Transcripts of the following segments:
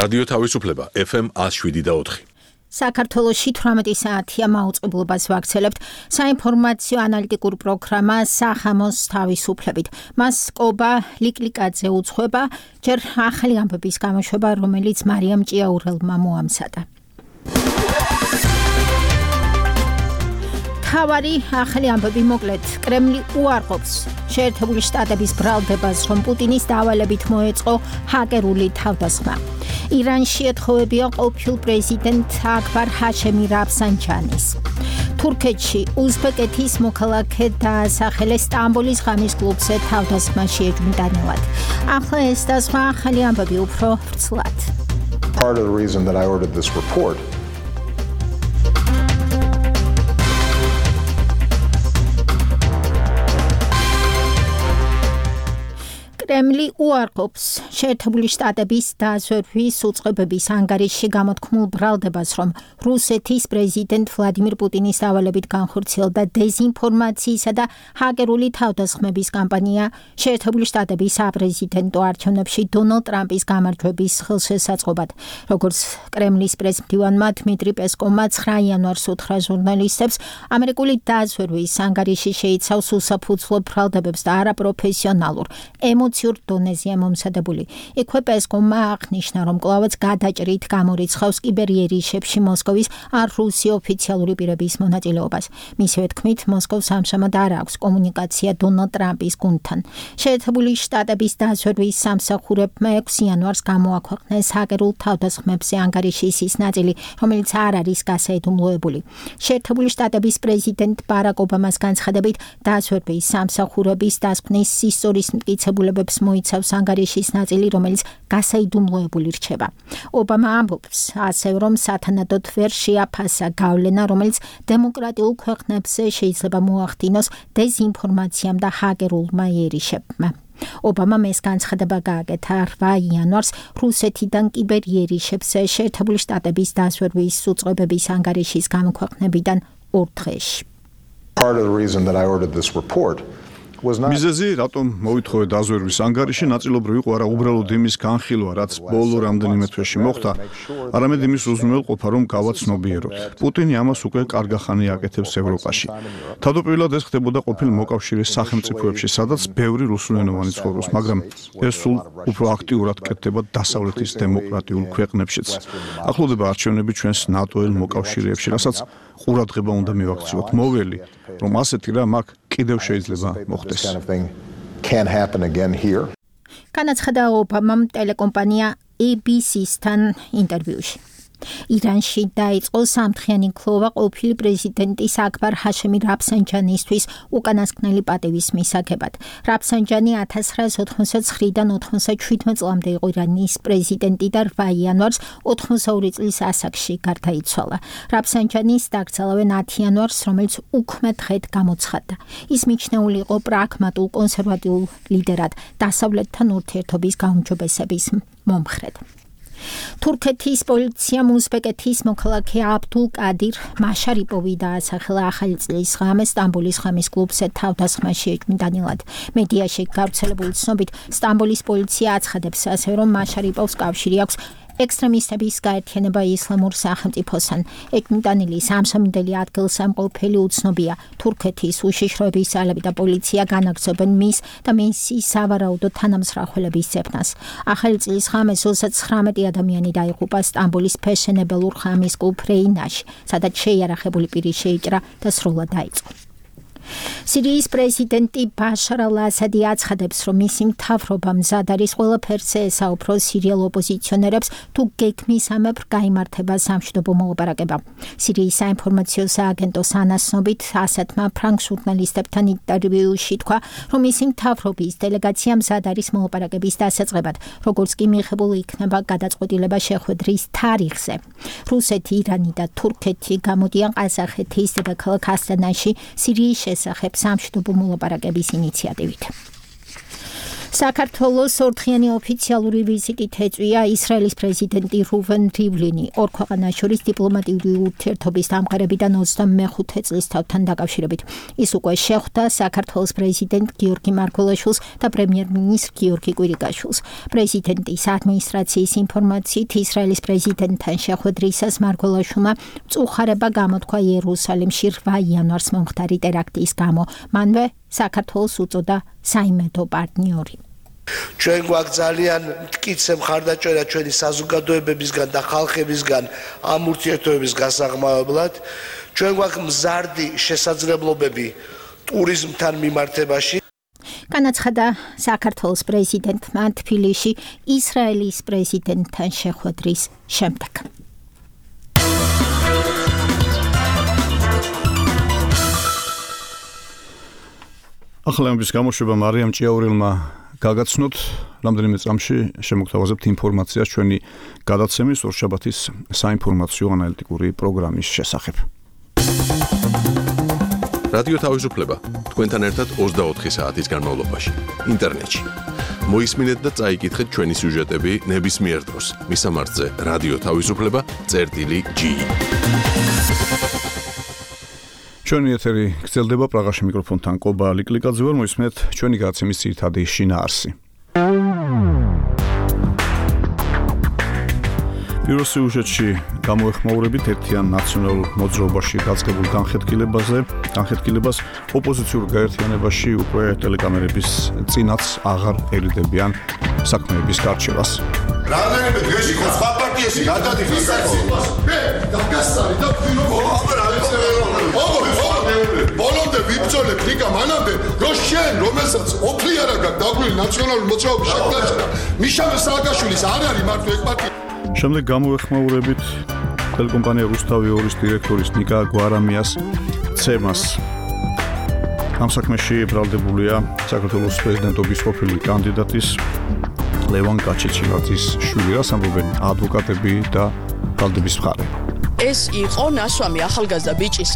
რადიო თავისუფლება FM 107.4. საქართველოში 18 საათია მაუწყებლობას ვაქცელებთ საინფორმაციო ანალიტიკურ პროგრამა სახამოს თავისუფლებით. მას კობა ლიკლიკაძე უძღვება, ჯერ ახალი ამბების გამოშვება, რომელიც მარიამ ჭიაურელმა მოამზადა. თავარი ახალი ამბები მოკლედ. კრემლი უარყოფს შეერთებული შტატების ბრალდებას, რომ პუტინის დავალებით მოეწყო ჰაკერული თავდასხმა. ირანში ეთხოვებია ყოფილ პრეზიდენტ აკბარ ჰაშემი რაფსანჯანის. თურქეთში უზბეკეთის მოქალაქე დაასახელეს სტამბოლის ღამის კლუბზე თავდასხმაში ეჭვმიტანილად. ახლა ეს და სხვა ახალი ამბები უფრო ვრცლად. Part of the reason that I ordered this report კრემლი უარყოფს შეერთებული შტატების დაზვერვის უწყებების ანგარიშში გამოთქმულ ბრალდებას, რომ რუსეთის პრეზიდენტ ვლადიმირ პუტინის დავალებით განხორციელდა დეზინფორმაციისა და ჰაკერული თავდასხმების კამპანია შეერთებული შტატების საპრეზიდენტო არჩევნებში დონალდ ტრამპის გამარჯვების ხელშესაწყობად. როგორც კრემლის პრესმდივანმა დმიტრი პესკოვმა 9 იანვარს უთხრა ჟურნალისტებს, ამერიკული დაზვერვის ანგარიში შეიცავს უსაფუძვლო ბრალდებებს და არაპროფესიონალურ დონეზია მომზადებული. იქვე პესკოვმა აღნიშნა, რომ კვლავაც გადაჭრით გამორიცხავს კიბერიერიშებში მოსკოვის არ რუსი ოფიციალური პირების მონაწილეობას. მისივე თქმით, მოსკოვს ამჟამად არ აქვს კომუნიკაცია დონალდ ტრამპის გუნდთან. შეერთებული შტატების დაზვერვის სამსახურებმა 6 იანვარს გამოაქვეყნეს ჰაკერულ თავდასხმებზე ანგარიშის ის ნაწილი, რომელიც არ არის გასაიდუმლოებული. შეერთებული შტატების პრეზიდენტ ბარაკ ობამას განცხადებით, დაზვერვის სამსახურების დასკვნის ისტორიის მტკიცებულებებს მოიცავს ანგარიშის ნაწილი, რომელიც გასაიდუმლოებული რჩება. ობამა ამბობს ასევე, რომ სათანადოდ ვერ შეაფასა გავლენა, რომელიც დემოკრატიულ ქვეყნებზე შეიძლება მოახდინოს დეზინფორმაციამ და ჰაკერულმა იერიშებმა. ობამამ ეს განცხადება გააკეთა 8 იანვარს რუსეთიდან კიბერიერიშებს შეერთებული შტატების დაზვერვის უწყებების ანგარიშის გამოქვეყნებიდან 2 დღეში. Part of the reason that I ordered this report მიზეზი, რატომ მოვითხოვე დაზვერვის ანგარიში, ნაწილობრივ იყო არა უბრალოდ იმის განხილვა, რაც ბოლო რამდენიმე თვეში მოხდა, არამედ იმის უზრუნველყოფა, რომ გავაცნობიეროთ. პუტინი ამას უკვე კარგახანი აკეთებს ევროპაში. თავდაპირველად ეს ხდებოდა ყოფილ მოკავშირის სახელმწიფოებში, სადაც ბევრი რუსულენოვანი ცხოვრობს, მაგრამ ეს სულ უფრო აქტიურად კეთდება დასავლეთის დემოკრატიულ ქვეყნებშიც. ახლოვდება არჩევნები ჩვენს ნატოელ მოკავშირეებში, რასაც ყურადღება უნდა მივაქციოთ. მოველი, რომ ასეთი რამ აქ კიდევ შეიძლება მოხდეს. განაცხადა ობამამ ტელეკომპანია ABC-სთან ინტერვიუში. ირანში დაიწყო სამთხიანი ქლოვა ყოფილი პრეზიდენტის აკბარ ჰაშემი რაფსანჯანისთვის უკანასკნელი პატივის მისაღებად. რაფსანჯანი 1989-დან 97 წლამდე იყო ირანის პრეზიდენტი და 8 იანვარს 82 წლის ასაკში გარდაიცვალა. რაფსანჯანის დაკრძალავენ 10 იანვარს, რომელიც უქმე დღედ გამოცხადდა. ის მიჩნეული იყო პრაგმატულ კონსერვატიულ ლიდერად, დასავლეთთან ურთიერთობის გაუმჯობესების მომხრედ. თურქეთის პოლიციამ უზბეკეთის მოქალაქე აბდულ კადირ მაშარიპოვი დაასახელა ახალი წლის ღამეს სტამბოლის ღამის კლუბზე თავდასხმაში ეჭვმიტანილად. მედიაში გავრცელებული ცნობით, სტამბოლის პოლიცია აცხადებს ასევე, რომ მაშარიპოვს კავშირი აქვს ექსტრემისტების გაერთიანება ისლამურ სახელმწიფოსთან. ეჭვმიტანილი სამსამინდელი ადგილსამყოფელი უცნობია. თურქეთის უშიშროების ძალები და პოლიცია განაგრძობენ მის და მისი სავარაუდო თანამსახველების ძებნას. ახალი წლის ღამეს 39 ადამიანი დაიღუპა სტამბოლის ფეშენებელურ ღამის კლუბ რეინაში, სადაც შეიარაღებული პირი შეიჭრა და სრულად დაიწყო. სირიის პრეზიდენტი ბაშარ ალ-ასადი აცხადებს, რომ მისი მთავრობა მზად არის ყველაფერზე ესაუფროს სირიელ ოპოზიციონერებს, თუ გეგმისამებრ გაიმართება სამშვიდობო მოლაპარაკება. სირიის საინფორმაციო სააგენტოს ანასნობით ასადმა ფრანგ ჟურნალისტებთან ინტერვიუში თქვა, რომ მისი მთავრობის დელეგაცია მზად არის მოლაპარაკების დასაწყებად, როგორც კი მიღებული იქნება გადაწყვეტილება შეხვედრის თარიღზე. რუსეთი, ირანი და თურქეთი გამოდიან ყაზახეთის დედაქალაქ ასტანაში სირიის შესახებ სამშვიდობო მოლაპარაკების ინიციატივით. საქართველოს ორდღიანი ოფიციალური ვიზიტით ეწვია ისრაელის პრეზიდენტი რუვენ რივლინი. ორ ქვეყანას შორის დიპლომატიური ურთიერთობის დამყარებიდან 25 წლის თავთან დაკავშირებით. ის უკვე შეხვდა საქართველოს პრეზიდენტ გიორგი მარგველაშვილს და პრემიერ-მინისტრ გიორგი კვირიკაშვილს. პრეზიდენტის ადმინისტრაციის ინფორმაციით ისრაელის პრეზიდენტთან შეხვედრისას მარგველაშვილმა მწუხარება გამოთქვა იერუსალიმში 8 იანვარს მომხდარი ტერაქტის გამო. მანვე საქართველოს უწოდა საიმედო პარტნიორი. ჩვენ გვაქვს ძალიან მტკიცე მხარდაჭერა ჩვენი საზოგადოებებისგან და ხალხებისგან ამ ურთიერთობების გასაღმავებლად. ჩვენ გვაქვს მზარდი შესაძლებლობები ტურიზმთან მიმართებაში. განაცხადა საქართველოს პრეზიდენტმა თბილისში ისრაელის პრეზიდენტთან შეხვედრის შემდეგ. ახალების გამოშვება მარიამ ჭიაურელმა გაგაცნოთ, რამდენიმე წამში შემოგთავაზებთ ინფორმაციას ჩვენი გადაცემის ორშაბათის საინფორმაციო ანალიტიკური პროგრამის შესახებ. რადიო თავისუფლება თქვენთან ერთად 24 საათის განმავლობაში ინტერნეტში. მოისმინეთ და წაიკითხეთ ჩვენი სიუჟეტები ნებისმიერ დროს. მისამართზე რადიო თავისუფლება.gi. ჩვენი ეთერი გრძელდება პრაღაში მიკროფონთან კობა ლიკლიკაძე ვარ, მოისმენთ ჩვენი გადაცემის ძირითადი შინაარსი. პირველ სიუჟეტში გამოეხმაურებით ერთიან ნაციონალურ მოძრაობაში დაწყებულ განხეთქილებას ოპოზიციურ გაერთიანებაში უკვე ტელეკამერების წინაც აღარ ერიდებიან საქმეების გარჩევას. რამდენიმე დღეში ხო სხვა პარტიაში გადადიხარ მე დაგასწარი და ბოლომდე ვიბრძოლებ ნიკა მანამდე რომ შენ რომელსაც ოფლი არა გაქვს დაგვილი ნაციონალური მოძრაობის შექმნა მიშა სააკაშვილის არ არის მარტო ეგ პარტია. შემდეგ გამოეხმაურებით ტელეკომპანია რუსთავი 2-ის დირექტორის ნიკა გვარამიას ცემას. ამ საქმეში ბრალდებულია საქართველოს პრეზიდენტობის ყოფილი კანდიდატის ლევან კაჩიჩილაძის შვილი, რაც ამბობენ ადვოკატები და ბრალდების მხარე. ეს იყო ნასვამი ახალგაზრდა ბიჭის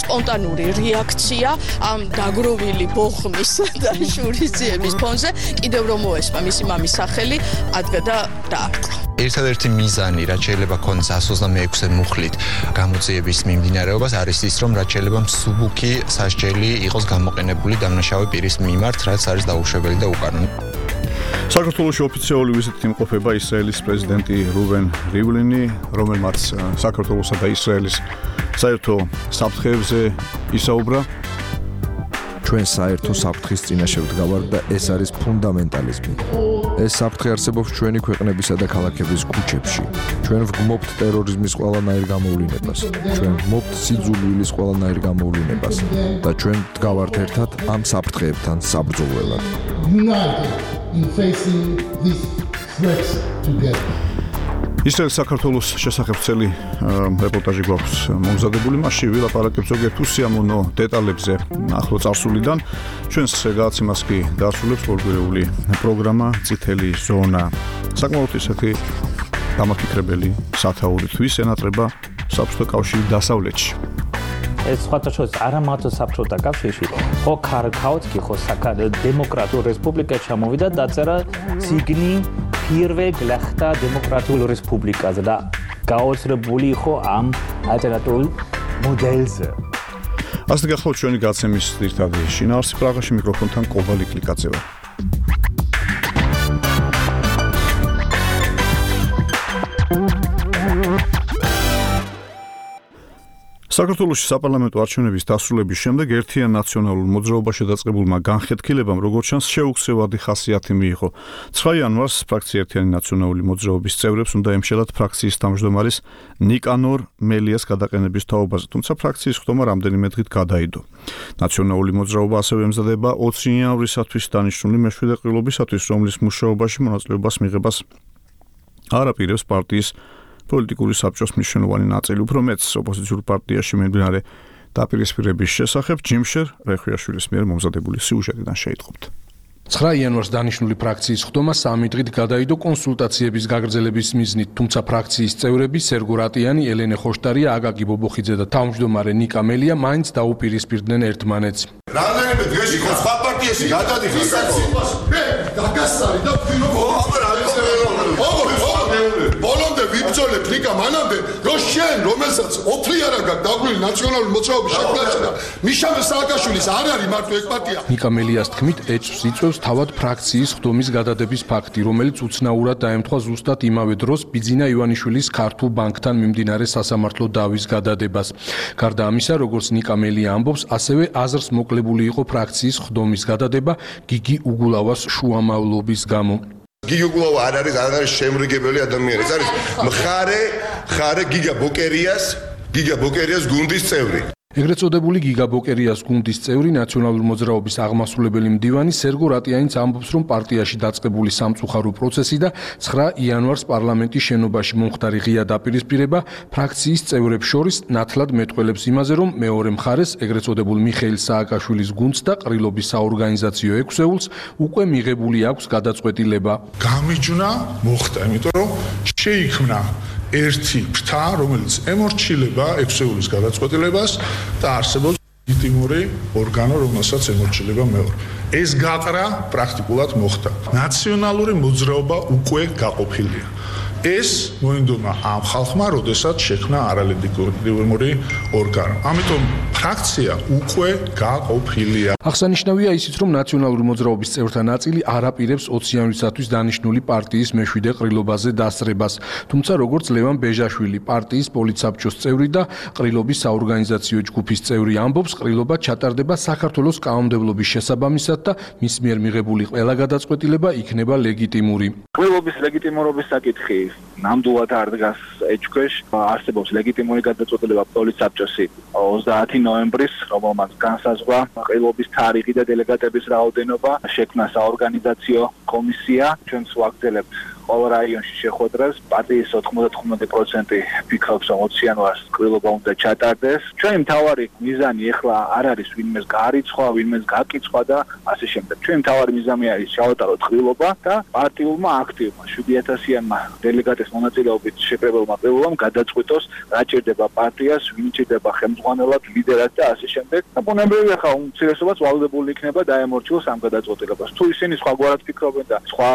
სპონტანური რეაქცია ამ დაგროვილი ბოხმის და შურისძიების ფონზე, კიდევ რომ მოესმა მისი მამის სახელი, ადგა და დაარტყა. ერთადერთი მიზანი, რაც შეიძლება ქონდეს 126-ე მუხლით გამოძიების მიმდინარეობას, არის ის, რომ რაც შეიძლება მსუბუქი სასჯელი იყოს გამოყენებული დამნაშავე პირის მიმართ, რაც არის დაუშვებელი და უკანონო. საქართველოში ოფიციალური ვიზიტით იმყოფება ისრაელის პრეზიდენტი რუვენ რივლინი, რომელმაც საქართველოსა და ისრაელის საერთო საფრთხეებზე ისაუბრა. ჩვენ საერთო საფრთხის წინაშე ვდგავართ და ეს არის ფუნდამენტალიზმი. ეს საფრთხე არსებობს ჩვენი ქვეყნებისა და ქალაქების ქუჩებში. ჩვენ ვგმობთ ტერორიზმის ყველანაირ გამოვლინებას. ჩვენ ვგმობთ სიძულვილის ყველანაირ გამოვლინებას და ჩვენ ვდგავართ ერთად ამ საფრთხეებთან საბრძოლველად. In facing these threats together. ისრაელის საქართველოს შესახებ წელი რეპორტაჟი გვაქვს მომზადებული, მასში ვილაპარაკებთ ზოგიერთ უსიამოვნო დეტალებზე ახლო წარსულიდან. ჩვენს გადაცემას კი დაასრულებს ორგვარეული პროგრამა წითელი ზონა. საკმაოდ ისეთი დამაფიქრებელი სათაური თვის ენატრება საბჭოთა კავშირის დასავლეთში. ეს სხვათა შორის არა მარტო საბჭოთა კავშირში, ხო ქართლში, ხო დემოკრატიულ რესპუბლიკაში ჩამოვიდა დაწერა ციგნი პირველ გლახტა დემოკრატიულ რესპუბლიკაზე და გაოცრებული იყო ამ ალტერნატიულ მოდელზე. ასე გახლავთ ჩვენი გადაცემის ძირითადი შინაარსი, პრაღაში მიკროფონთან კობა ლიკლიკაძე ვარ. საქართველოში საპარლამენტო არჩევნების დასრულების შემდეგ ერთიან ნაციონალურ მოძრაობაში დაწყებულმა განხეთქილებამ, როგორც ჩანს, შეუქცევადი ხასიათი მიიღო. 9 იანვარს ფრაქცია ერთიანი ნაციონალური მოძრაობის წევრებს უნდა ემშელათ ფრაქციის თავმჯდომარის ნიკანორ მელიას გადაყენების თაობაზე, თუმცა ფრაქციის ხდომა რამდენიმე დღით გადაიდო. ნაციონალური მოძრაობა ასევე ემზადება 20 იანვრისათვის დანიშნული მეშვიდე ყრილობისათვის, რომლის მუშაობაში მონაწილეობას მიღებას არ აპირებს პარტიის პოლიტიკური საბჭოს მნიშვნელოვანი ნაწილი, უფრო მეც ოპოზიციურ პარტიაში მიმდინარე დაპირისპირების შესახებ ჯიმშერ რეხვიაშვილის მიერ მომზადებული სიუჟეტიდან შეიტყობთ. 9 იანვარს დანიშნული ფრაქციის ხდომა 3 დღით გადაიდო კონსულტაციების გაგრძელების მიზნით, თუმცა ფრაქციის წევრები სერგო რატიანი, ელენე ხოშტარია, აკაკი ბობოხიძე და თავმჯდომარე ნიკა მელია მაინც დაუპირისპირდნენ ერთმანეთს. რამდენიმე დღეში ხო სხვა პარტიაში გადადიხარ მე დაგასწარი და ბოლომდე ვიბრძოლებ ლიკა მანამდე რომ შენ რომელსაც ოფლი არ აქვს დაგვილი ნაციონალური მოძრაობის შექმნაში და მიშა სააკაშვილის არ არის მარტო ეგ პარტია ნიკა მელიას თქმით ეჭვს იწვევს თავად ფრაქციის ხდომის გადადების ფაქტი რომელიც უცნაურად დაემთხვა ზუსტად იმავე დროს ბიძინა ივანიშვილის ქართულ ბანკთან მიმდინარე სასამართლო დავის გადადებას გარდა ამისა როგორც ნიკა მელია ამბობს ასევე აზრს მოკლებული იყო ფრაქციის ხდომის გადადება გიგი უგულავას შუამავლობის გამო გიგი უგულავა არ არის შემრიგებელი ადამიანი ეს არის მხარე გიგა ბოკერიას გუნდის წევრი ეგრეთ წოდებული გიგა ბოკერიას გუნდის წევრი ნაციონალური მოძრაობის აღმასრულებელი მდივანი სერგო რატიანიც ამბობს რომ პარტიაში დაწყებული სამწუხარო პროცესი და 9 იანვარს პარლამენტის შენობაში მომხდარი ღია დაპირისპირება ფრაქციის წევრებს შორის ნათლად მეტყველებს იმაზე რომ მეორე მხარეს ეგრეთ წოდებულ მიხეილ სააკაშვილის გუნდს და ყრილობის საორგანიზაციო ექვსეულს უკვე მიღებული აქვს გადაწყვეტილება გამიჯვნა მოხდა იმიტომ რომ შეიქმნა ერთი ფრთა, რომელიც ემორჩილება ექვსეულის გადაწყვეტილებას და არსებობს ლეგიტიმური ორგანო, რომელსაც ემორჩილება მეორე. ეს გაყრა პრაქტიკულად მოხდა. ნაციონალური მოძრაობა უკვე გაყოფილია. ეს მოინდომა ამ ხალხმა, როდესაც შექმნა არალეგიტიმური ორგანო. ამიტომ ფრაქცია უკვე გაყოფილია. აღსანიშნავია ისიც, რომ ნაციონალური მოძრაობის წევრთა ნაწილი არ აპირებს 20 იანვრისათვის დანიშნული პარტიის მეშვიდე ყრილობაზე დასწრებას. თუმცა, როგორც ლევან ბეჟაშვილი, პარტიის პოლიტსაბჭოს წევრი და ყრილობის საორგანიზაციო ჯგუფის წევრი ამბობს, ყრილობა ჩატარდება საქართველოს კანონმდებლობის შესაბამისად და მის მიერ მიღებული ყველა გადაწყვეტილება იქნება ლეგიტიმური. ყრილობის ლეგიტიმურობის საკითხი ნამდვილად არ დგას ეჭქვეშ. არსებობს ლეგიტიმური გადაწყვეტილება პოლიტსაბჭოსი 30 ნოემბრის, რომელმაც განსაზღვრა ყრილობის თარიღი და დელეგატების რაოდენობა, შექმნა საორგანიზაციო კომისია. ჩვენც ვაგრძელებთ ყოველ რაიონში შეხვედრას. პარტიის 99% ფიქრობს, რომ 20 იანვარს ყრილობა უნდა ჩატარდეს. ჩვენი მთავარი მიზანი ახლა არ არის ვინმეს გაარიცხვა, ვინმეს გაკიცხვა და ასე შემდეგ. ჩვენი მთავარი მიზანი არის ჩავატაროთ ყრილობა და პარტიულმა აქტივმა 7000-იანმა დელეგატის მონაწილეობით შეკრებილმა ყრილობამ გადაწყვიტოს, რა ჭირდება პარტიას, ვინ ჭირდება ხელმძღვანელად, ლიდერად და ასე შემდეგ. და ბუნებრივია ხა უმცირესობაც ვალდებული იქნება დაემორჩილოს ამ გადაწყვეტილებას. თუ ისინი სხვაგვარად ფიქრობენ და სხვა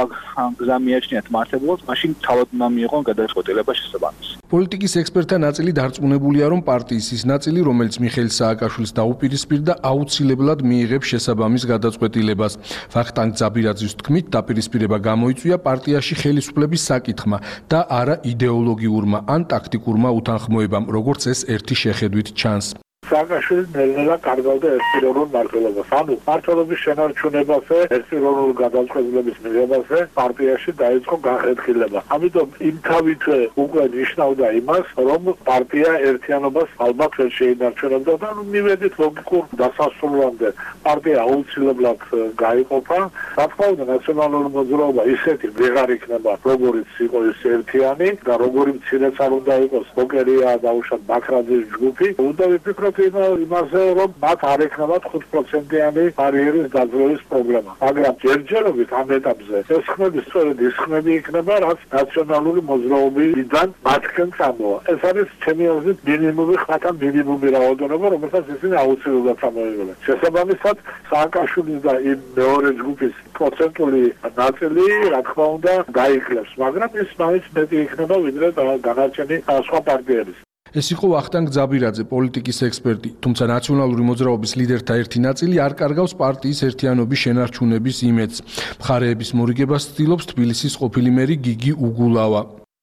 გზა მიაჩნიათ მაშინ თავად უნდა მიიღონ გადაწყვეტილება შესაბამისი. პოლიტიკის ექსპერტთა ნაწილი დარწმუნებულია, რომ პარტიის ის ნაწილი, რომელიც მიხეილ სააკაშვილს დაუპირისპირდა, აუცილებლად მიიღებს შესაბამის გადაწყვეტილებას. ვახტანგ ძაბირაძის თქმით, დაპირისპირება გამოიწვია პარტიაში ხელისუფლების საკითხმა და არა იდეოლოგიურმა ან ტაქტიკურმა უთანხმოებამ, როგორც ეს ერთი შეხედვით ჩანს. სააკაშვილი ნელ-ნელა კარგავდა ერთპიროვნულ მმართველობას. ანუ მმართველობის შენარჩუნებაზე, ერთპიროვნული გადაწყვეტილების მიღებაზე პარტიაში დაიწყო განხეთქილება. ამიტომ იმთავითვე უკვე ნიშნავდა იმას, რომ პარტია ერთიანობას ალბათ ვერ შეინარჩუნებდა და მივედით ლოგიკურ დასასრულამდე. პარტია აუცილებლად გაიყოფა. რა თქმა უნდა, ნაციონალური მოძრაობა ისეთი ვეღარ იქნება, როგორიც იყო ის ერთიანი და როგორი მცირეც არ უნდა იყოს ბოკერია და უშად ბაქრაძის ჯგუფი. უნდა ვიფიქროთ იმაზე, რომ მათ არ ექნებათ 5%-იანი ბარიერის დაძლევის პრობლემა. მაგრამ ჯერჯერობით ამ ეტაპზე ეს ხმები სწორედ ის ხმები იქნება, რაც ნაციონალური მოძრაობიდან მათგან წამოვა. ეს არის ჩემი აზრით მინიმუმი ხმათა მინიმუმი რაოდენობა, რომელსაც ისინი აუცილებლად წამოიღებენ. შესაბამისად, სააკაშვილის და იმ მეორე ჯგუფის პროცენტული ნაწილი, რა თქმა უნდა, დაიკლებს, მაგრამ ის მაინც მეტი იქნება, ვიდრე დანარჩენი სხვა პარტიების. ეს იყო ვახტანგ ძაბირაძე, პოლიტიკის ექსპერტი, თუმცა ნაციონალური მოძრაობის ლიდერთა ერთი ნაწილი არ კარგავს პარტიის ერთიანობის შენარჩუნების იმედს. მხარეების მორიგებას ცდილობს თბილისის ყოფილი მერი გიგი უგულავა.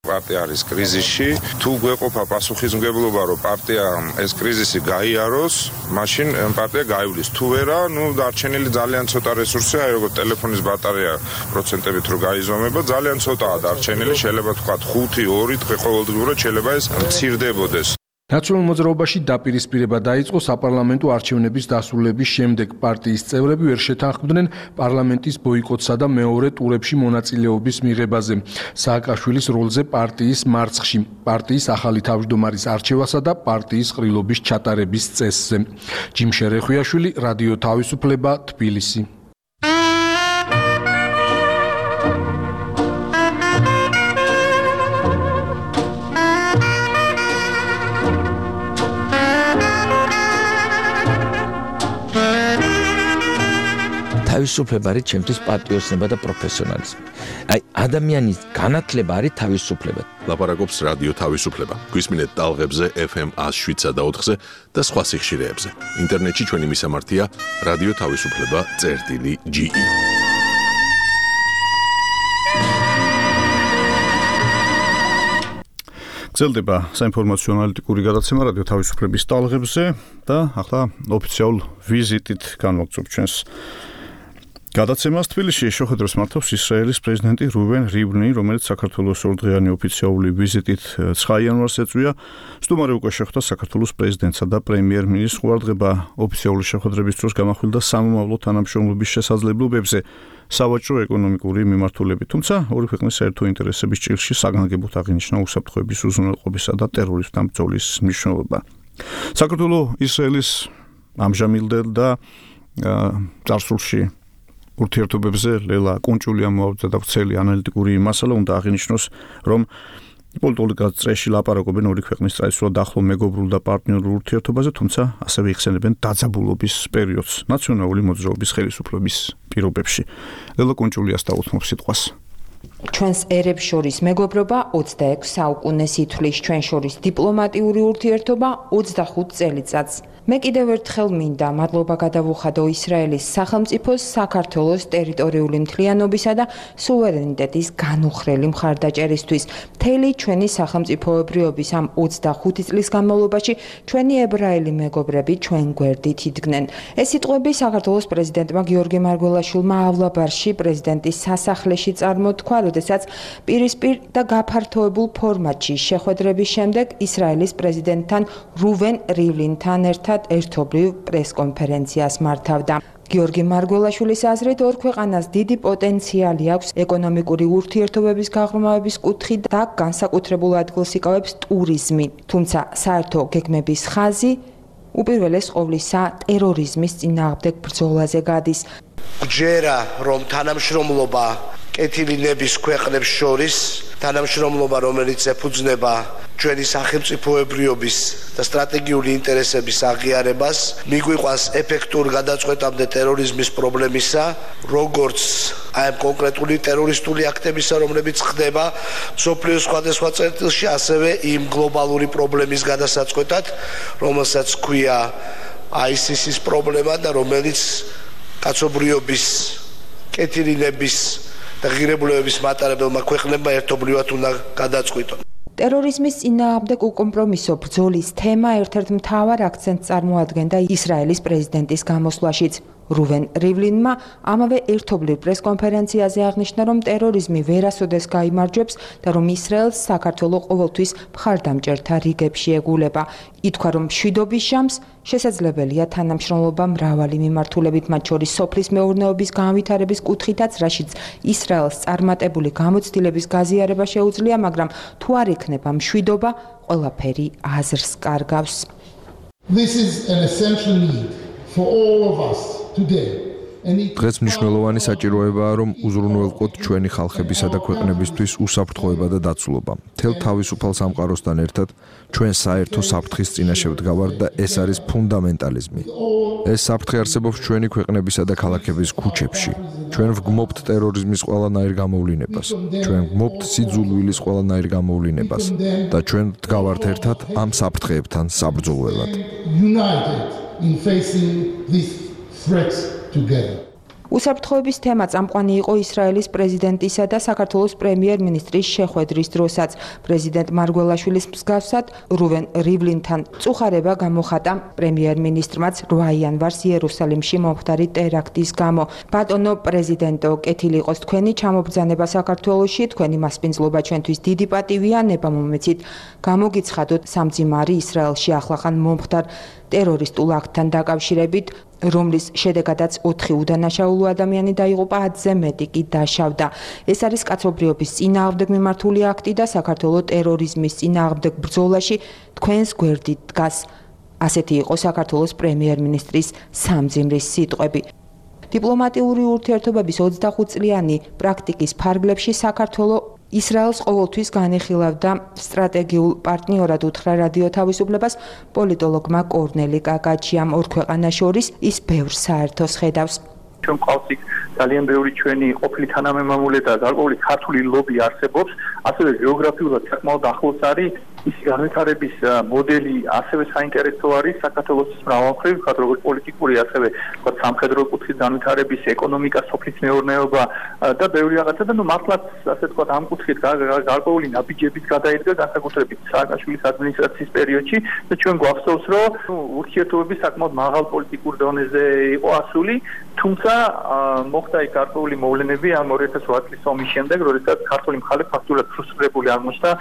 პარტია არის კრიზისში. თუ გვეყოფა პასუხისმგებლობა, რომ პარტიამ ეს კრიზისი გაიაროს, მაშინ პარტია გაივლის. თუ ვერა, დარჩენილი ძალიან ცოტა რესურსია, როგორც ტელეფონის ბატარეა პროცენტებით რო გაიზომება, ძალიან ცოტაა დარჩენილი, შეიძლება თქვათ 5-2 დღე ყოველდღიურად შეიძლება ეს მცირდებოდეს. ნაციონალურ მოძრაობაში დაპირისპირება დაიწყო საპარლამენტო არჩევნების დასრულების შემდეგ. პარტიის წევრები ვერ შეთანხმდნენ პარლამენტის ბოიკოტსა და მეორე ტურებში მონაწილეობის მიღებაზე. სააკაშვილის როლზე პარტიის მარცხში, პარტიის ახალი თავმჯდომარის არჩევასა და პარტიის ყრილობის ჩატარების წესზე. ჯიმ შერეხვიაშვილი, რადიო თავისუფლება, თბილისი. თავისუფლება არის ჩემთვის პატრიოტიზმი და პროფესიონალიზმი. აი ადამიანის განათლება არის თავისუფლება. ლაპარაკობს რადიო თავისუფლება. გვისმინეთ ტალღებზე FM 107 და 4-ზე და სხვა სიხშირეებზე. ინტერნეტში ჩვენი მისამართია რადიო თავისუფლება.ge. გრძელდება საინფორმაციო ანალიტიკური გადაცემა რადიო თავისუფლების ტალღებზე და ახლა ოფიციალურ ვიზიტით განვაგრძობ ჩვენს გადაცემას თბილისში შეხვედრას მართავს ისრაელის პრეზიდენტი რუვენ რივლინი, რომელიც საქართველოს ორდღიანი ოფიციალური ვიზიტით 9 იანვარს ეწვია. სტუმარი უკვე შეხვდა საქართველოს პრეზიდენტსა და პრემიერ-მინისტრს. ყურადღება ოფიციალური შეხვედრების დროს გამახვილდა სამომავლო თანამშრომლობის შესაძლებლობებზე სავაჭრო ეკონომიკური მიმართულებით. თუმცა ორი ქვეყნის საერთო ინტერესების ჭრილში საგანგებოდ აღინიშნა უსაფრთხოების უზრუნველყოფისა და ტერორიზმთან ბრძოლის მნიშვნელობა. საქართველოს ისრაელის ამჟამინდელ და წარსულში ურთიერთობებზე ლელა კუნჭულია მოავდა და ვრცელი ანალიტიკური მასალა უნდა აღინიშნოს, რომ პოლიტიკური გაწეში ლაპარაკობენ ორი ქვეყნის ტრადიციულად ახლო მეგობრულ და პარტნიორულ ურთიერთობაზე, თუმცა ასევე იხსენებენ დაძაბულობის პერიოდს ნაციონალური მოძრაობის ხელისუფლების პირობებში. ლელა კუნჭულიას დაუთმობ სიტყვას. ჩვენს ერებს შორის მეგობრობა 26 საუკუნეს ითვლის, ჩვენ შორის დიპლომატიური ურთიერთობა 25 წელიწადს. მე კიდევ ერთხელ მინდა მადლობა გადავუხადო ისრაელის სახელმწიფოს საქართველოს ტერიტორიული მთლიანობისა და სუვერენიტეტის განუხრელი მხარდაჭერისთვის. მთელი ჩვენი სახელმწიფოებრიობის ამ 25 წლის განმავლობაში ჩვენი ებრაელი მეგობრები ჩვენ გვერდით იდგნენ. ეს სიტყვები საქართველოს პრეზიდენტმა გიორგი მარგველაშვილმა ავლაბარში პრეზიდენტის სასახლეში წარმოთქვა, როდესაც პირისპირ და გაფართოებულ ფორმატში შეხვედრების შემდეგ ისრაელის პრეზიდენტთან რუვენ რივლინთან ერთად ერთობლივ პრესკონფერენციას მართავდა. გიორგი მარგველაშვილის აზრით ორ ქვეყანას დიდი პოტენციალი აქვს ეკონომიკური ურთიერთობების გაღრმავების კუთხით და განსაკუთრებულ ადგილს იკავებს ტურიზმი. თუმცა საერთო გეგმების ხაზი უპირველეს ყოვლისა ტერორიზმის წინააღმდეგ ბრძოლაზე გადის. გჯერა რომ თანამშრომლობა კეთილინების ქვეყნებს შორის, თანამშრომლობა რომელიც ეფუძნება ჩვენი სახელმწიფოებრიობის და სტრატეგიული ინტერესების აღიარებას, მიგვიყვანს ეფექტურ გადაწყვეტამდე ტერორიზმის პრობლემისა, როგორც აი ამ კონკრეტული ტერორისტული აქტებისა, რომლებიც ხდება მსოფლიოს სხვადასხვა წერტილში, ასევე იმ გლობალური პრობლემის გადასაწყვეტად, რომელსაც ჰქვია ISIS-ის პრობლემა და რომელიც კაცობრიობის, კეთილინების და ღირებულებების მატარებელმა ქვეყნებმა ერთობლივად უნდა გადაწყვიტონ. ტერორიზმის წინააღმდეგ უკომპრომისო ბრძოლის თემა ერთ-ერთ მთავარ აქცენტს წარმოადგენდა ისრაელის პრეზიდენტის გამოსვლაშიც. რუვენ რივლინმა ამავე ერთობლივ პრესკონფერენციაზე აღნიშნა, რომ ტერორიზმი ვერასოდეს გაიმარჯვებს და რომ ისრაელს საქართველოს ყოველთვის მხარდამჭერთა რიგებში ეგულება. ითქვა, რომ მშვიდობის ჟამს შესაძლებელია თანამშრომლობა მრავალი მიმართულებით, მათ შორის სოფლის მეურნეობის განვითარების კუთხითაც, რაშიც ისრაელს წარმატებული გამოცდილების გაზიარება შეუძლია, მაგრამ თუ არ იქნება მშვიდობა, ყველაფერი აზრს კარგავს. This is an essential need for all of us today. დღეს მნიშვნელოვანი საჭიროებაა, რომ უზრუნველყოთ ჩვენი ხალხებისა და ქვეყნებისთვის უსაფრთხოება და დაცულობა. მთელ თავისუფალ სამყაროსთან ერთად ჩვენ საერთო საფრთხის წინაშე ვდგავართ და ეს არის ფუნდამენტალიზმი. ეს საფრთხე არსებობს ჩვენი ქვეყნებისა და ქალაქების ქუჩებში. ჩვენ ვგმობთ ტერორიზმის ყველანაირ გამოვლინებას. ჩვენ ვგმობთ სიძულვილის ყველანაირ გამოვლინებას და ჩვენ ვდგავართ ერთად ამ საფრთხეებთან საბრძოლველად. United in facing these threats together. უსაფრთხოების თემა წამყვანი იყო ისრაელის პრეზიდენტისა და საქართველოს პრემიერ-მინისტრის შეხვედრის დროსაც. პრეზიდენტ მარგველაშვილის მსგავსად რუვენ რივლინთან წუხარება გამოხატა პრემიერ-მინისტრმაც 8 იანვარს იერუსალიმში მომხდარი ტერაქტის გამო. ბატონო პრეზიდენტო, კეთილი იყოს თქვენი ჩამობრძანება საქართველოში, თქვენი მასპინძლობა ჩვენთვის დიდი პატივია, ნება მომეცით გამოგიცხადოთ სამძიმარი ისრაელში ახლახან მომხდარ ტერორისტულ აქტთან დაკავშირებით, რომლის შედეგადაც 4 უდანაშაულო ადამიანი დაიღუპა, 10-ზე მეტი კი დაშავდა. ეს არის კაცობრიობის წინააღმდეგ მიმართული აქტი და საქართველოს ტერორიზმის წინააღმდეგ ბრძოლაში თქვენს გვერდით დგას. ასეთი იყო საქართველოს პრემიერ-მინისტრის სამძიმრის სიტყვები. დიპლომატიური ურთიერთობების 25 წლიანი პრაქტიკის ფარგლებში საქართველოს ისრაელს ყოველთვის განიხილავდა სტრატეგიულ პარტნიორად უთხრა რადიო თავისუფლებას პოლიტოლოგმა კორნელი კაკაჩიამ. ორ ქვეყანას შორის ის ბევრ საერთოს ხედავს. ჩვენ ყავს იქ ძალიან ბევრი ჩვენი ყოფილი თანამემამულე და გარკვეული ქართული ლობი არსებობს, ასევე გეოგრაფიულად საკმაოდ ახლოს არის ის განვითარების მოდელი ასევე საინტერესო არის საქართველოს მრავალმხრივ, როგორც პოლიტიკური, ასევე სამხედრო კუთხის განვითარების, ეკონომიკა, სოფლის მეურნეობა და ბევრი რაღაცა და მართლაც ასე ვთქვათ ამ კუთხით გარკვეული ნაბიჯების გადაიდგა განსაკუთრებით სააკაშვილის ადმინისტრაციის პერიოდში და ჩვენ გვახსოვს რომ ურთიერთობები საკმაოდ მაღალ პოლიტიკურ დონეზე იყო ასული, თუმცა მოხდა იქ გარკვეული მოვლენები ამ 2008 წლის ომის შემდეგ, როდესაც ქართული მხარე ფაქტურად ფრუსტრირებული აღმოჩნდა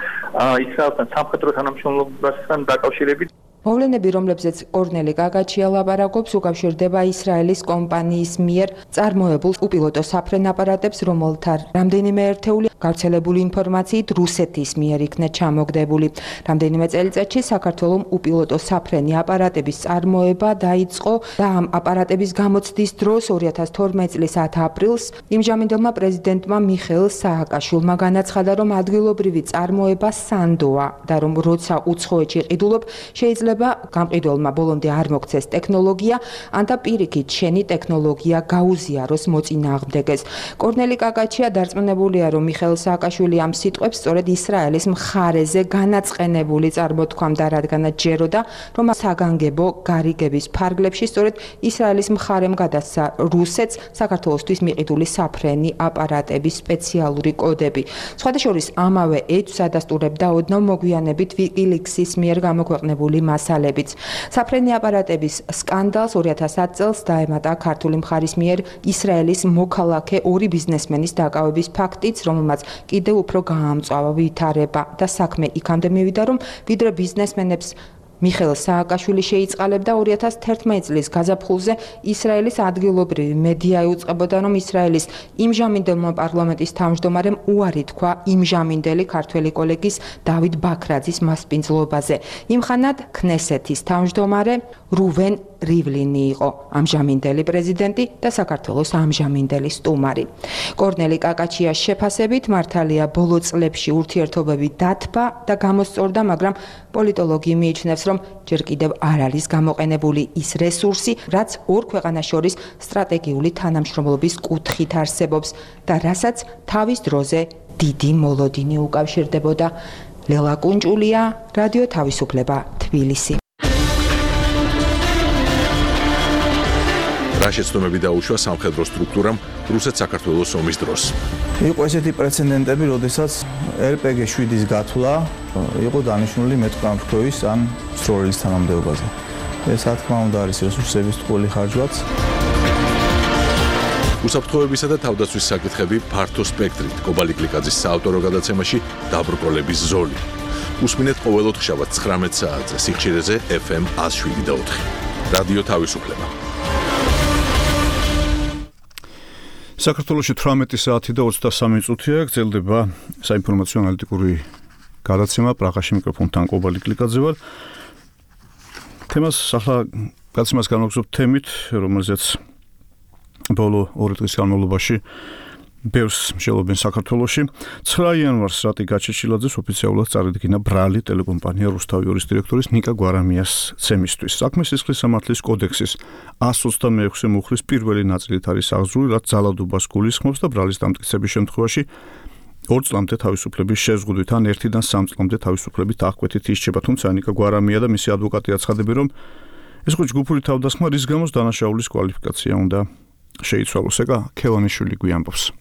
ისრაელთან სამხედრო თანამშრომლობასთან დაკავშირებით. მოვლენები, რომლებზეც კორნელი კაკაჩია ლაპარაკობს, უკავშირდება ისრაელის კომპანიის მიერ წარმოებულ უპილოტო საფრენ აპარატებს, რომელთა რამდენიმე ერთეული გავრცელებული ინფორმაციით რუსეთის მიერ იქნა ჩამოგდებული. რამდენიმე წელიწადში საქართველოს უპილოტო საფრენი აპარატების წარმოება დაიწყო და ამ აპარატების გამოცდის დროს 2012 წლის 10 აპრილს იმჟამინდელმა პრეზიდენტმა მიხეილ სააკაშვილმა განაცხადა, რომ ადგილობრივი წარმოება სანდოა და რომ როცა უცხოეთში ყიდულობ შეიძლება გამყიდველმა ბოლომდე არ მოგცეს ტექნოლოგია, ან და პირიქით შენი ტექნოლოგია გაუზიაროს მოწინააღმდეგეს. კორნელი კაკაჩია დარწმუნებულია, რომ მიხეილ სააკაშვილი ამ სიტყვებს სწორედ ისრაელის მხარეზე განაწყენებული წარმოთქვამდა, რადგანაც ჯეროდა, რომ საგანგებო გარიგების ფარგლებში სწორედ ისრაელის მხარემ გადასცა რუსეთს საქართველოსთვის მიყიდული საფრენი აპარატების სპეციალური კოდები. სხვადასხვა ამავე ეჭვს ადასტურებდა ოდნავ მოგვიანებით WikiLeaks-ის მიერ გამოქვეყნებული მასალებიც. საფრენი აპარატების სკანდალს 2010 წელს დაემატა ქართული მხარის მიერ ისრაელის მოქალაქე ორი ბიზნესმენის დაკავების ფაქტიც, რომელმაც კიდევ უფრო გაამწვავა ვითარება და საქმე იქამდე მივიდა, რომ ვიდრე ბიზნესმენებს მიხეილ სააკაშვილი შეიწყალებდა 2011 წლის გაზაფხულზე ისრაელის ადგილობრივი მედია იუწყებოდა, რომ ისრაელის იმჟამინდელმა პარლამენტის თავმჯდომარემ უარი თქვა იმჟამინდელი ქართველი კოლეგის დავით ბაქრაძის მასპინძლობაზე. იმხანად ქნესეთის თავმჯდომარე რუვენ რივლინი იყო ამჟამინდელი პრეზიდენტი და საქართველოს ამჟამინდელი სტუმარი. კორნელი კაკაჩიას შეფასებით მართალია ბოლო წლებში ურთიერთობები დათბა და გამოსწორდა, მაგრამ პოლიტოლოგი მიიჩნევს, რომ ჯერ კიდევ არ არის გამოყენებული ის რესურსი, რაც ორ ქვეყანას შორის სტრატეგიული თანამშრომლობის კუთხით არსებობს და რასაც თავის დროზე დიდი მოლოდინი უკავშირდებოდა. ლელა კუნჭულია, რადიო თავისუფლება, თბილისი. რა შეცდომები დაუშვა სამხედრო სტრუქტურამ რუსეთ-საქართველოს ომის დროს. იყო ესეთი პრეცედენტები, როდესაც RPG-7-ის გათვლა იყო დანიშნული მეტყამრქვევის ან მსროლელის თანამდებობაზე. ეს რა თქმა უნდა არის რესურსების ტყუილი ხარჯვაც. უსაფრთხოებისა და თავდაცვის საკითხები ფართო სპექტრით კობალი კლიკაძის საავტორო გადაცემაში დაბრკოლების ზოლი. უსმინეთ ყოველოთხშაბათ 19 საათზე სიხშირეზე FM 107.4. რადიო თავისუფლება. საქართველოში 18 საათი და 23 წუთია გრძელდება საინფორმაციო ანალიტიკური გადაცემა პრაღაში მიკროფონთან კობალი კლიკაძე ვარ. თემას ახლა გადაცემას განვაგრძობ თემით, რომელზეც ბოლო 2 დღის განმავლობაში ბევრს მსჯელობენ საქართველოში. 9 იანვარს რატი გაჩეჩილაძეს ოფიციალურად წარედგინა ბრალი ტელეკომპანია რუსთავიორის დირექტორის ნიკა გვარამიას ცემისთვის. საქმე სისხლის სამართლის კოდექსის 126 მუხლის პირველი ნაწილით არის აღძრული, რაც ძალადობას გულისხმობს და ბრალის დამტკიცების შემთხვევაში 2 წლამდე თავისუფლების შეზღუდვით ან 1-დან 3 წლამდე თავისუფლებით აღკვეთით ისჩება. თუმცა ნიკა გვარამია და მისი ადვოკატი აცხადებენ, რომ ეს ხო ჯგუფური თავდასხმა, რის გამოც დანაშაულის კვალიფიკაცია უნდა შეიცვალოს. ეკა ქევანიშვილი გვიამბობს.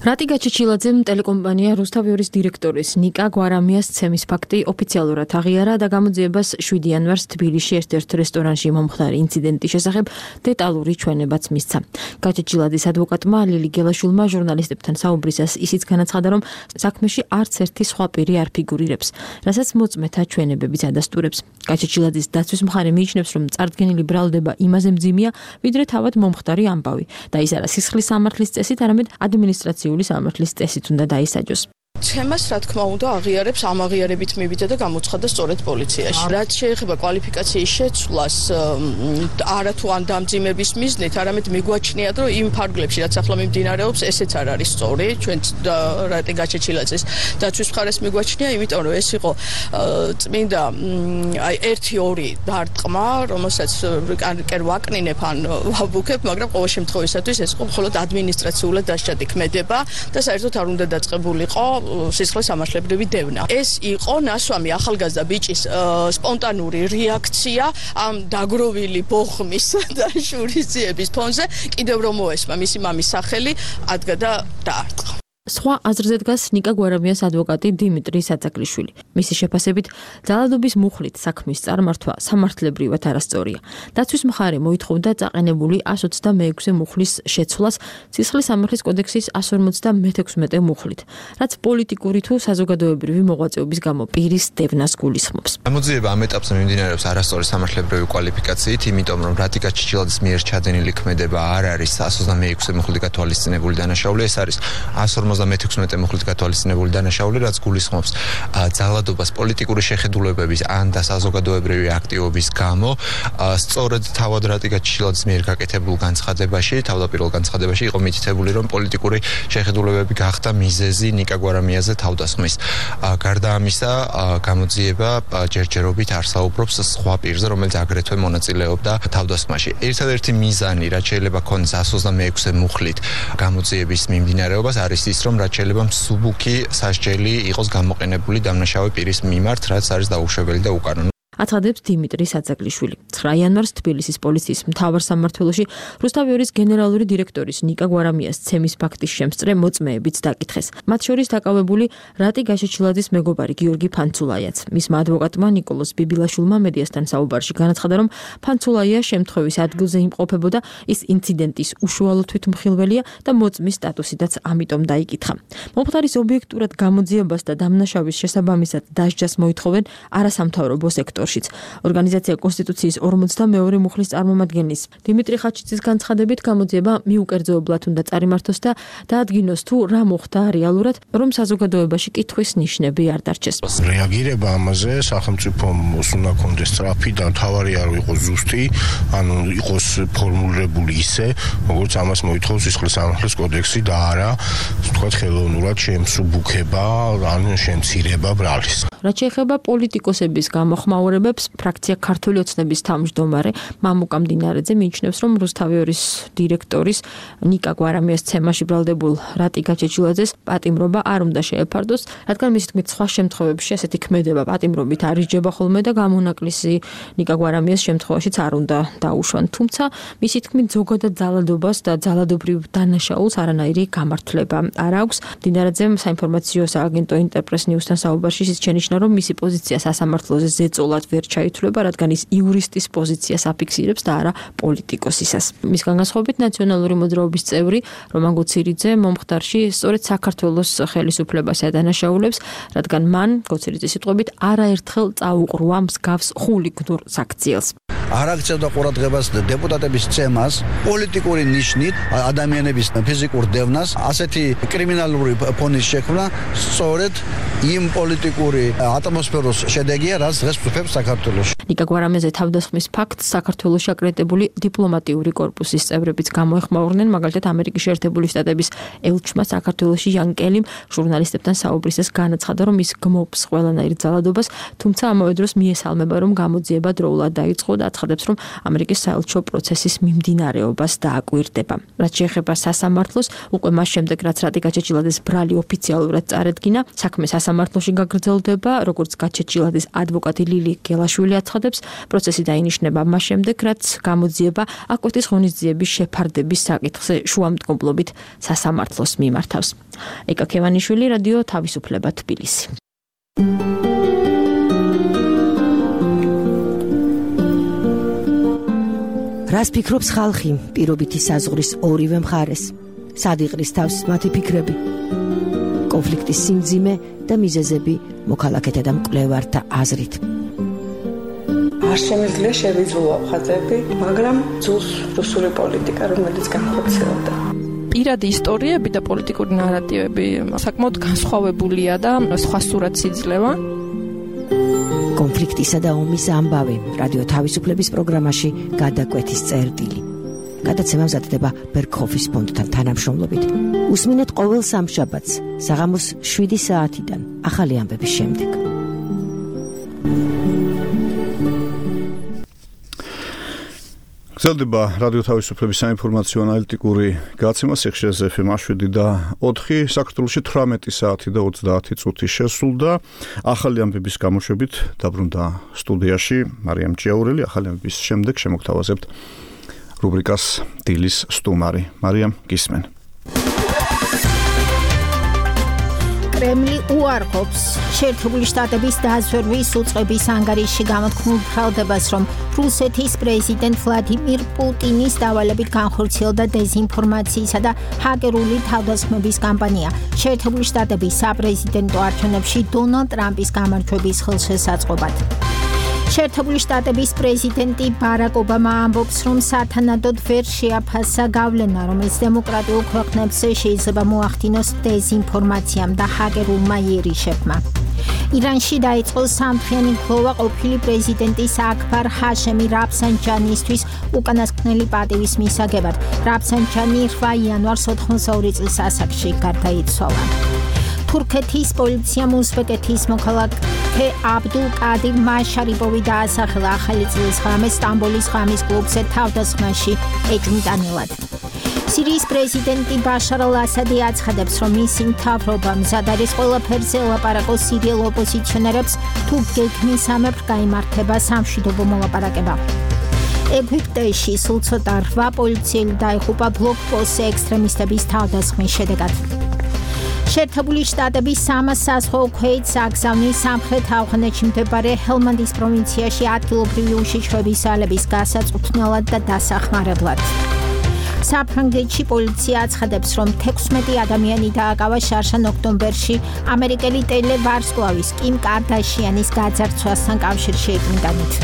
რატი გაჩეჩილაძემ ტელეკომპანია რუსთავიორის დირექტორის ნიკა გვარამიას ცემის ფაქტი ოფიციალურად აღიარა და გამოძიებას 7 იანვარს თბილისში ერთ-ერთ რესტორანში მომხდარი ინციდენტის შესახებ დეტალური ჩვენებაც მისცა. გაჩეჩილაძის ადვოკატმა ლილი გელაშვილმა ჟურნალისტებთან საუბრისას ისიც განაცხადა, რომ საქმეში არც ერთი სხვა პირი არ ფიგურირებს, რასაც მოწმეთა ჩვენებებიც ადასტურებს. გაჩეჩილაძის დაცვის მხარე მიიჩნევს, რომ წარდგენილი ბრალდება იმაზე მძიმეა, ვიდრე თავად მომხდარი ამბავი და ის არა სისხლის სამართლის წესით, არამედ ადმინისტრაციული სამართლის წესით უნდა დაისაჯოს. ცემას რა თქმა უნდა აღიარებს ამ აღიარებით მივიდა და გამოცხადა სწორედ პოლიციაში. რაც შეეხება კვალიფიკაციის შეცვლას, არა თუ ან დამძიმების მიზნით, არამედ მიგვაჩნიათ, რომ იმ ფარგლებში, რაც ახლა მიმდინარეობს, ესეც არ არის სწორი, ჩვენ რატი გაჩეჩილაძის დაცვის მხარეს მიგვაჩნია, იმიტომ რომ ეს იყო წმინდა აი 1-2 დარტყმა, რომელსაც კერ ვაკნინებ ან ვაბუქებ, მაგრამ ყოველ შემთხვევისათვის ეს იყო მხოლოდ ადმინისტრაციულად დასჭადი ქმედება და საერთოდ არ უნდა დაწყებულიყო სისხლის სამართლებრივი დევნა. ეს იყო ნასვამი ახალგაზრდა ბიჭის სპონტანური რეაქცია ამ დაგროვილი ბოხმის და შურისძიების ფონზე, კიდევ რომ მოესმა მისი მამის სახელი, ადგა და დაარტყა. სხვა აზრზე დგას ნიკა გვარამიას ადვოკატი დიმიტრი საწაგლიშვილი. მისი შეფასებით, ძალადობის მუხლით საქმის წარმართვა სამართლებრივად არასწორია. დაცვის მხარე მოითხოვდა წაყენებული 126 მუხლის შეცვლას სისხლის სამართლის კოდექსის 156 მუხლით, რაც პოლიტიკური თუ საზოგადოებრივი მოღვაწეობის გამო პირის დევნას გულისხმობს. გამოძიება ამ ეტაპზე მიმდინარეობს არასწორი სამართლებრივი კვალიფიკაციით, იმიტომ რომ რატიკა ჩიჩილაძის მიერ ჩადენილი ქმედება არ არის 126 მუხლით გათვალისწინებული დანაშაული, ეს არის 156 მუხლით გათვალისწინებული დანაშაული, რაც გულისხმობს ძალადობას პოლიტიკური შეხედულებების ან და საზოგადოებრივი აქტივობის გამო, სწორედ თავად რატიკა ჩიჩილაძის მიერ გაკეთებულ განცხადებაში, თავდაპირველ განცხადებაში იყო მითითებული, რომ პოლიტიკური შეხედულებები გახდა მიზეზი ნიკა გვარამიაზე თავდასხმის. გარდა ამისა, გამოძიება ჯერჯერობით არსაუბრობს სხვა პირზე, რომელიც აგრეთვე მონაწილეობდა თავდასხმაში. ერთადერთი მიზანი, რაც შეიძლება ქონდეს 126 მუხლით გამოძიების მიმდინარეობას, არის ის, რომ რაც შეიძლება მსუბუქი სასჯელი იყოს გამოყენებული დამნაშავე პირის მიმართ, რაც არის დაუშვებელი და უკანონო. აცხადებს დიმიტრი საწაგლიშვილი. 9 იანვარს თბილისის პოლიციის მთავარ სამმართველოში რუსთავიორის გენერალური დირექტორის ნიკა გვარამიას ცემის ფაქტის შემსწრე მოწმეებიც დაკითხეს. მათ შორის დაკავებული რატი გაჩეჩილაძის მეგობარი გიორგი ფანცულაიაც. მისმა ადვოკატმა ნიკოლოზ ბიბილაშვილმა მედიასთან საუბარში განაცხადა, რომ ფანცულაია შემთხვევის ადგილზე იმყოფებოდა, ის ინციდენტის უშუალო თვითმხილველია და მოწმის სტატუსიდაც ამიტომ დაიკითხა. მომხდარის ობიექტურად გამოძიებას და დამნაშავის შესაბამისად დასჯას მოითხოვენ არასამთავრობო სექტორში. ორგანიზაცია კონსტიტუციის 42 მუხლის წარმომადგენლის დიმიტრი ხაჩიძის განცხადებით გამოძიება მიუკერძოებლად უნდა წარიმართოს და დაადგინოს თუ რა მოხდა რეალურად, რომ საზოგადოებაში კითხვის ნიშნები არ დარჩეს. რეაგირება ამაზე სახელმწიფომ უნდა კონდეს სწრაფი და თავარი არ იყოს ზუსტი, ანუ იყოს ფორმულირებული ისე, როგორც ამას მოითხოვს სისხლის სამართლის კოდექსი და არა, თქვათ ხელოვნურად შემსუბუქება, ან შემცირება ბრალის. რაც შეეხება პოლიტიკოსების გამოხმაურებებს, ფრაქცია ქართული ოცნების თავმჯდომარე მამუკა მდინარეძე მიიჩნევს, რომ რუსთავიორის დირექტორის ნიკა გვარამიას ცემაში ბრალდებულ რატი გაჩეჩილაძეს პატიმრობა არ უნდა შეეფარდოს, რადგან მისი თქმით სხვა შემთხვევებში ასეთი ქმედება პატიმრობით არ იჯება ხოლმე და გამონაკლისი ნიკა გვარამიას შემთხვევაშიც არ უნდა დაუშვან. თუმცა მისი თქმით ზოგადად ძალადობას და ძალადობრივ დანაშაულს არანაირი გამართლება არ აქვს. მდინარეძემ საინფორმაციო სააგენტო ინტერპრეს ნიუსთან საუბარში შეჩენიშნა, რომ მისი პოზიცია სასამართლოზე ზეწოლად ვერ ჩაითვლება, რადგან ის იურისტის პოზიციას აფიქსირებს და არა პოლიტიკოსისას. მისგან განსხვავებით ნაციონალური მოძრაობის წევრი რომან გოცირიძე მომხდარში სწორედ საქართველოს ხელისუფლებას ადანაშაულებს, რადგან მან გოცირიძის სიტყვებით არაერთხელ წაუყრუა მსგავს ხულიგნურ საქციელს. არ აქცევდა ყურადღებას დეპუტატების ცემას პოლიტიკური ნიშნით ადამიანების ფიზიკურ დევნას, ასეთი კრიმინალური ფონის შექმნა სწორედ იმ პოლიტიკური ატმოსფეროს შედეგია, რაც დღეს ფუფებს საქართველოში. ნიკა გვარამიაზე თავდასხმის ფაქტს საქართველოში აკრედიტებული დიპლომატიური კორპუსის წევრებიც გამოეხმაურნენ, მაგალითად ამერიკის შეერთებული შტატების ელჩმა საქართველოში იან კელიმ ჟურნალისტებთან საუბრისას განაცხადა, რომ ის გმობს ყველანაირ ძალადობას, თუმცა ამავე დროს მიესალმება, რომ გამოძიება დროულად დაიწყო და აცხადებს, რომ ამერიკის საელჩო პროცესის მიმდინარეობას დააკვირდება. რაც შეეხება სასამართლოს, უკვე მას შემდეგ, რაც რატი გაჩეჩილაძის ბრალი ოფიციალურად წარედგინა, საქმე სასამართლოში გაგრძელდება, როგორც გაჩეჩილაძის ადვოკატი ლილი გელაშვილი აცხადებს, პროცესი დაინიშნება მას შემდეგ, რაც გამოძიება აკვეთის ღონისძიების შეფარდების საკითხზე შუამდგომლობით სასამართლოს მიმართავს. ეკა ქევანიშვილი, რადიო თავისუფლება, თბილისი. რას ფიქრობს ხალხი პირობითი საზღვრის ორივე მხარეს? სად იყრის თავს მათი ფიქრები? კონფლიქტის სიმძიმე და მიზეზები მოქალაქეთა და მკვლევართა აზრით. არ შემიძლია შევიძულო ხაზები, მაგრამ ძულს რუსული პოლიტიკა, რომელიც განხორციელდა. პირადი ისტორიები და პოლიტიკური ნარატივები საკმაოდ განსხვავებულია და სხვა სურათს იძლევა. კონფლიქტისა და ომის ამბავი რადიო თავისუფლების პროგრამაში გადაკვეთის წერტილი. გადაცემა მზადდება ბერგჰოფის ფონდთან თანამშრომლობით. უსმინეთ ყოველ სამშაბათს საღამოს 7 საათიდან ახალი ამბების შემდეგ. გრძელდება რადიო თავისუფლების საინფორმაციო ანალიტიკური გადაცემა სიხშირეზე FM 7 და 4 საქართველოში 18 საათი და 30 წუთი შესულდა. ახალი ამბების გამოშვებით დაბრუნდა სტუდიაში მარიამ ჭიაურელი. ახალი ამბების შემდეგ შემოგთავაზებთ რუბრიკას დილის სტუმარი. მარიამ, გისმენ. კრემლი უარყოფს შეერთებული შტატების დაზვერვის უწყების ანგარიშში გამოთქმულ ბრალდებას, რომ რუსეთის პრეზიდენტ ვლადიმირ პუტინის დავალებით განხორციელდა დეზინფორმაციისა და ჰაკერული თავდასხმების კამპანია შეერთებული შტატების საპრეზიდენტო არჩევნებში დონალდ ტრამპის გამარჯვების ხელშესაწყობად. შეერთებული შტატების პრეზიდენტი ბარაკ ობამა ამბობს, რომ სათანადოდ ვერ შეაფასა გავლენა, რომელიც დემოკრატიულ ქვეყნებს შეიძლება მოახდინოს დეზინფორმაციამ და ჰაკერულმა იერიშებმა. ირანში დაიწყო სამთვიანი გლოვა ყოფილი პრეზიდენტის აქბარ ჰაშემი რაფსანჯანისთვის უკანასკნელი პატივის მისაგებად. რაფსანჯანი 8 იანვარს 82 წლის ასაკში გარდაიცვალა. თურქეთის პოლიციამ უზბეკეთის მოქალაქე აბდულ კადირ მაშარიპოვი დაასახელა ახალი წლის ღამეს სტამბოლის ღამის კლუბზე თავდასხმაში ეჭვმიტანილად. სირიის პრეზიდენტი ბაშარ ალ-ასადი აცხადებს, რომ მისი მთავრობა მზად არის ყველაფერზე ელაპარაკოს სირიელ ოპოზიციონერებს, თუ გეგმისამებრ გაიმართება სამშვიდობო მოლაპარაკება. ეგვიპტეში სულ ცოტა 8 პოლიციელი დაიღუპა ბლოკპოსტზე ექსტრემისტების თავდასხმის შედეგად. შეერთებული შტატების 300 საზღვაო ქვეითს აგზავნის სამხრეთ ავღანეთში მდებარე ჰელმანდის პროვინციაში ადგილობრივი უშიშროების ძალების გასაწუთნელად და დასახმარებლად. საფრანგეთში პოლიცია აცხადებს, რომ 16 ადამიანი დააკავა შარშან ოქტომბერში ამერიკელი ტელევარსკვლავის კიმ კარდაშიანის გაძარცვასთან კავშირში ეჭვმიტანით.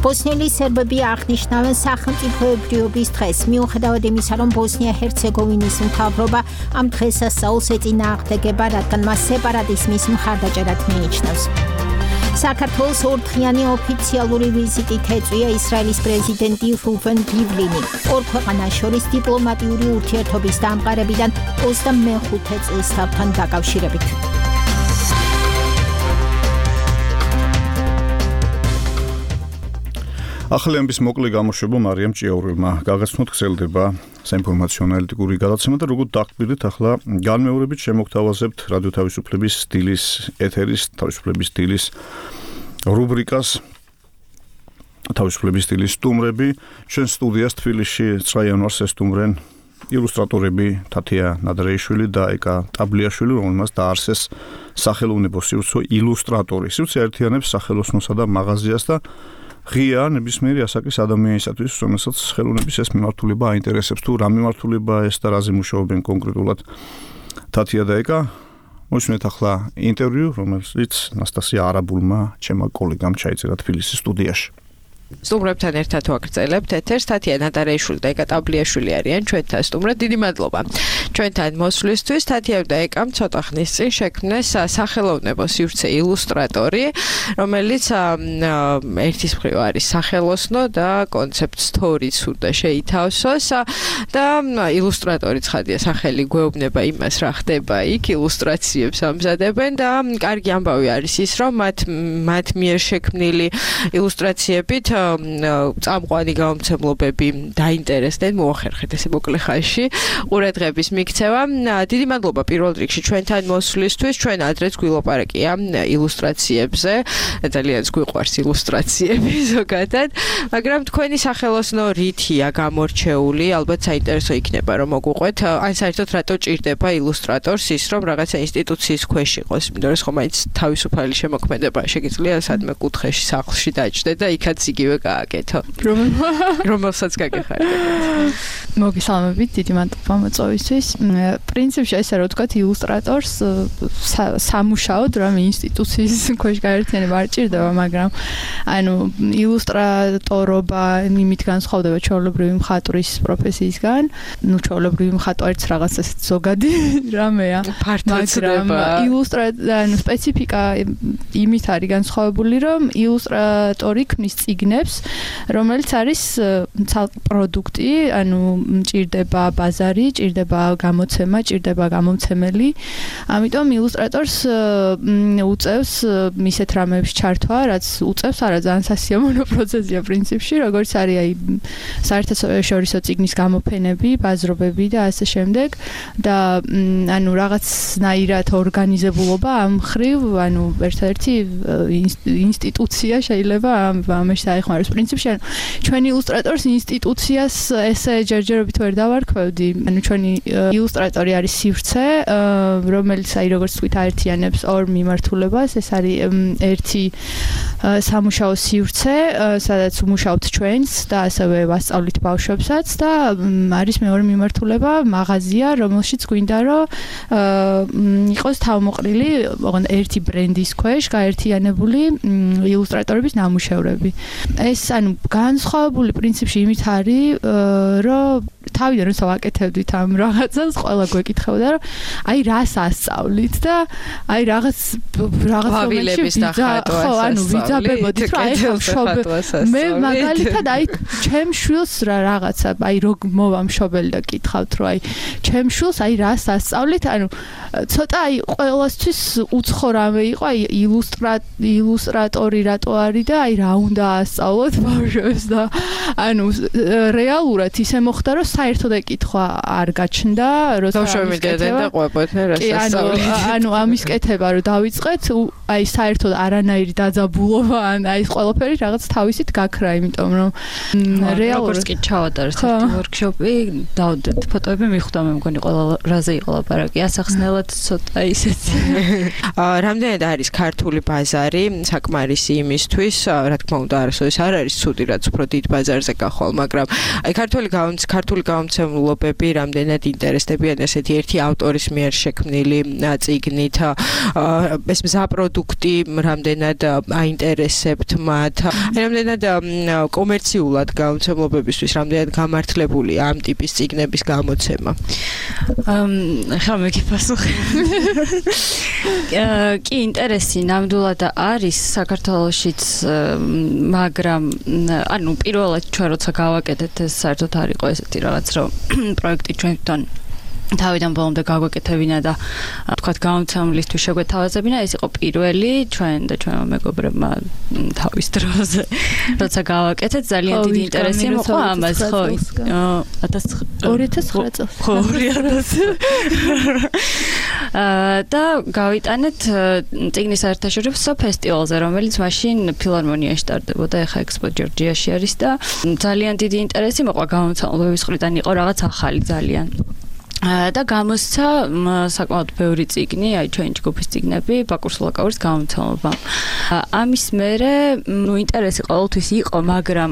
ბოსნიელი სერბები აღნიშნავენ სახელმწიფოებრიობის დღეს, მიუხედავად იმისა, რომ ბოსნია-ჰერცეგოვინის მთავრობა ამ დღესასწაულს ეწინააღმდეგება, რადგან მას სეპარატიზმის მხარდაჭერად მიიჩნევს. საქართველოს ორდღიანი ოფიციალური ვიზიტით ეწვია ისრაელის პრეზიდენტი რუვენ რივლინი. ორ ქვეყანას შორის დიპლომატიური ურთიერთობის დამყარებიდან 25 წელიწადთან დაკავშირებით. ახალი ამბის მოკლე გამოშვება მარიამ ჭიაურელმა გაგაცნოთ. გრძელდება საინფორმაციო ანალიტიკური გადაცემა და როგორც დაგკვირდით, ახლა განმეორებით შემოგთავაზებთ რადიო თავისუფლების დილის ეთერის თავისუფლების დილის რუბრიკას თავისუფლების დილის სტუმრები. ჩვენ სტუდიას თბილისში 9 იანვარს ესტუმრენ ილუსტრატორები თათია ნადრეიშვილი და ეკა ტაბლიაშვილი, რომელმაც დაარსეს სახელოვნებო სივრცე ილუსტრატორი. სივრცე აერთიანებს სახელოსნოსა და მაღაზიას და ღია ნებისმიერი ასაკის ადამიანისათვის, რომელსაც ხელოვნების ეს მიმართულება აინტერესებს, თუ რა მიმართულებაა ეს და რაზე მუშაობენ კონკრეტულად თათია და ეკა. მოისმენთ ახლა ინტერვიუ, რომელიც ნასტასია არაბულმა ჩემმა კოლეგამ ჩაიწერა თბილისის სტუდიაში. სტუმრებთან ერთად ვაგრძელებთ ეთერს. თათია ნადარეიშვილი და ეკა ტაბლიაშვილი არიან ჩვენთან სტუმრად. დიდი მადლობა ჩვენთან მოსვლისთვის. თათია და ეკამ ცოტა ხნის წინ შექმნეს სახელოვნებო სივრცე ილუსტრატორი, რომელიც ერთის მხრივ არის სახელოსნო და კონცეპტ სტორიც უნდა შეითავსოს და ილუსტრატორი ცხადია სახელი გვეუბნება იმას, რა ხდება იქ, ილუსტრაციებს ამზადებენ და კარგი ამბავი არის ის, რომ მათ მიერ შექმნილი ილუსტრაციებით წამყვანი გამომცემლობები დაინტერესდნენ, მოახერხეთ ესე მოკლე ხანში ყურადღების მიქცევა. დიდი მადლობა პირველ რიგში ჩვენთან მოსვლისთვის. ჩვენ ადრეც გვილაპარაკია ილუსტრაციებზე, ძალიან გვიყვარს ილუსტრაციები ზოგადად, მაგრამ თქვენი სახელოსნო რითია გამორჩეული, ალბათ საინტერესო იქნება რომ მოგვყვეთ, ან საერთოდ რატო ჭირდება ილუსტრატორს ის, რომ რაღაცა ინსტიტუციის ქვეშ იყოს, იმიტომ რომ ხომ მაინც თავისუფალი შემოქმედება შეგიძლია სადმე კუთხეში სახლში დაჭდე და იქაც იგივე გააკეთო. რომელსაც გაგეხარებათ. მოგესალმებით, დიდი მადლობა მოწვევისთვის. პრინციპში ესე რომ ვთქვათ, ილუსტრატორს სამუშაოდ რამე ინსტიტუციის ქვეშ გაერთიანება არ ჭირდება, მაგრამ ანუ ილუსტრატორობა იმით განსხვავდება ჩვეულებრივი მხატვრის პროფესიისგან. ნუ ჩვეულებრივი მხატვარიც რაღაც ეს ზოგადი რამეა, მაგრამ ანუ სპეციფიკა იმით არის განსხვავებული, რომ ილუსტრატორი ქმნის წიგნებს, რომელიც არის ცალკე პროდუქტი, ანუ ჭირდება ბაზარი, ჭირდება გამოცემა, ჭირდება გამომცემელი. ამიტომ ილუსტრატორს უწევს ისეთ რამეებში ჩართვა, რაც უწევს არა ძალიან სასიამოვნო პროცესია პრინციპში, როგორც არის აი საერთაშორისო წიგნის გამოფენები, ბაზრობები და ასე შემდეგ და ანუ რაღაცნაირად ორგანიზებულობა ამ ხრივ, ანუ ერთ-ერთი ინსტიტუცია შეიძლება ამაში დაეხმაროს პრინციპში. ანუ ჩვენი ილუსტრატორს ინსტიტუციას ესე ჯერჯერობით ვერ დავარქვევდი. ანუ ჩვენი ილუსტრატორი არის სივრცე, რომელიც აი როგორც თქვით აერთიანებს ორ მიმართულებას. ეს არის ერთი სამუშაო სივრცე, სადაც ვმუშაობთ ჩვენს და ასევე ვასწავლით ბავშვებსაც და არის მეორე მიმართულება, მაღაზია, რომელშიც გვინდა რომ იყოს თავმოყრილი ერთი ბრენდის ქვეშ გაერთიანებული ილუსტრატორების ნამუშევრები. ეს ანუ განსხვავებული პრინციპში იმით არის, რომ თავიდან როცა ვაკეთებდით ამ რაღაცას, ყველა გვეკითხებოდა, რომ აი რას ასწავლით და აი რაღაც ვალების დახატვას, ხო, ანუ ვიძაბებოდით, რომ აი მე მაგალითად აი ჩემ შვილს რაღაცა, აი რო მოვა მშობელი და კითხავთ, რომ აი ჩემ შვილს აი რას ასწავლით, ანუ ცოტა აი ყველასთვის უცხო რამე იყო, აი ილუსტრატორი რატო არის და აი რა უნდა ასწავლოთ ბავშვებს და ანუ რეალურად ისე მოხდა, რომ საერთოდ ეკითხვა არ გაჩნდა, როცა ბავშვები დედენ და ყვებოდნენ რას ასწავლეთ. ანუ ამის კეთება რომ დავიწყეთ, აი საერთოდ არანაირი დაძაბულობა ან აი ეს ყველაფერი რაღაც თავისით გაქრა, იმიტომ რომ რეალურად როგორც კი ჩავატარეთ ერთი ვორქშოპი, დავდეთ ფოტოები მიხვდა, მე მგონი ყველა რაზე იყო ლაპარაკი, ასახსნელად ცოტა ისეთი. რამდენად არის ქართული ბაზარი საკმარისი იმისთვის, რა თქმა უნდა, არასოდეს არ არის ცუდი, რაც უფრო დიდ ბაზარზე გახვალ, მაგრამ აი ქართული გამომცემლობები რამდენად ინტერესდებიან ესეთი ერთი ავტორის მიერ შექმნილი წიგნით, ეს მზა პროდუქტი რამდენად აინტერესებთ მათ, რამდენად კომერციულად გამომცემლობებისთვის რამდენად გამართლებულია ამ ტიპის წიგნების გამოცემა. ხა მე გიფასუხე. კი, ინტერესი ნამდვილად არის საქართველოშიც, მაგრამ ანუ პირველად ჩვენ როცა გავაკეთეთ ეს საერთოდ არ იყო ესეთი რაღაც რომ პროექტი ჩვენთან თავიდან ბოლომდე გაგვეკეთებინა და თქვათ გამომცემლისთვის შეგვეთავაზებინა, ეს იყო პირველი ჩვენ და ჩვენმა მეგობრებმა თავის დროზე როცა გავაკეთეთ, ძალიან დიდი ინტერესი მოყვა ამას, ხო 2009 წელს. ხო 2000 და გავიტანეთ წიგნის საერთაშორისო ფესტივალზე, რომელიც მაშინ ფილარმონიაში ტარდებოდა, ეხა ექსპო ჯორჯიაში არის და ძალიან დიდი ინტერესი მოყვა გამომცემლობების მხრიდან, იყო რაღაც ახალი ძალიან. და გამოსცა საკმაოდ ბევრი წიგნი, აი ჩვენი ჯგუფის წიგნები, ბაკურ სულაკაურის გამომცემლობამ. ამის მერე, ნუ ინტერესი ყოველთვის იყო, მაგრამ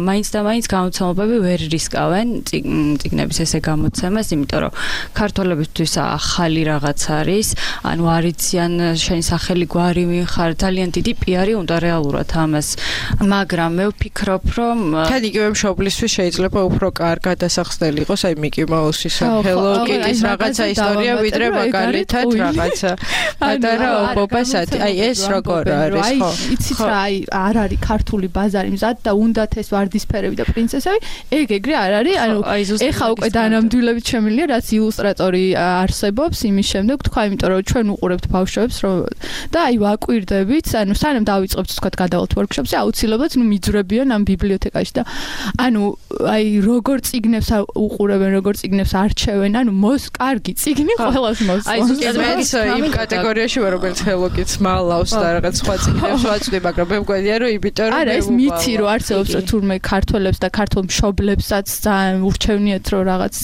მაინც და მაინც გამომცემლობები ვერ რისკავენ წიგნების ესე გამოცემას, იმიტომ რომ ქართველებისთვის ახალი რაღაც არის, ანუ არიციან შენი სახელი გვარი მიხარ, ძალიან დიდი პიარი უნდა რეალურად ამას. მაგრამ მე ვფიქრობ, რომ თან იგივე მშობლისთვის შეიძლება უფრო კარგად დასახსნელი იყოს, აი მიკი მაუსის სახელო კიტის რაღაცა ისტორია, ვიდრე მაგალითად რაღაცა პატარა ობობასათი. აი ეს როგორ არის, ხო? იცით რა, აი არ არის ქართული ბაზარი მზად და უნდათ ეს ვარდისფერები და პრინცესები, ეგრე არ არის. ანუ ეხა უკვე დანამდვილებით შემილია, რაც ილუსტრატორი არსებობს იმის შემდეგ, თქვა, იმიტომ რომ ჩვენ უყურებთ ბავშვებს და აი ვაკვირდებით, ანუ სანამ დავიწყებთ თქვა გადავალთ ვორქშოპზე, აუცილებლად ნუ მიძვრებიან ამ ბიბლიოთეკაში და ანუ აი როგორ წიგნებს უყურებენ, როგორ წიგნებს არჩევენ, ანუ კარგი წიგნი ყველას მოსწონს. აი ზუსტად იმ კატეგორიაში ვარ, რომელიც ხელოკიც მალავს და რაღაც სხვა წიგნებს ვაწვდი, მაგრამ მე მგონია რომ იმიტომ რომ არა ეს მითი რომ არსებობს თურმე ქართველებს და ქართულ მშობლებსაც ძალიან ურჩევნიათ რომ რაღაც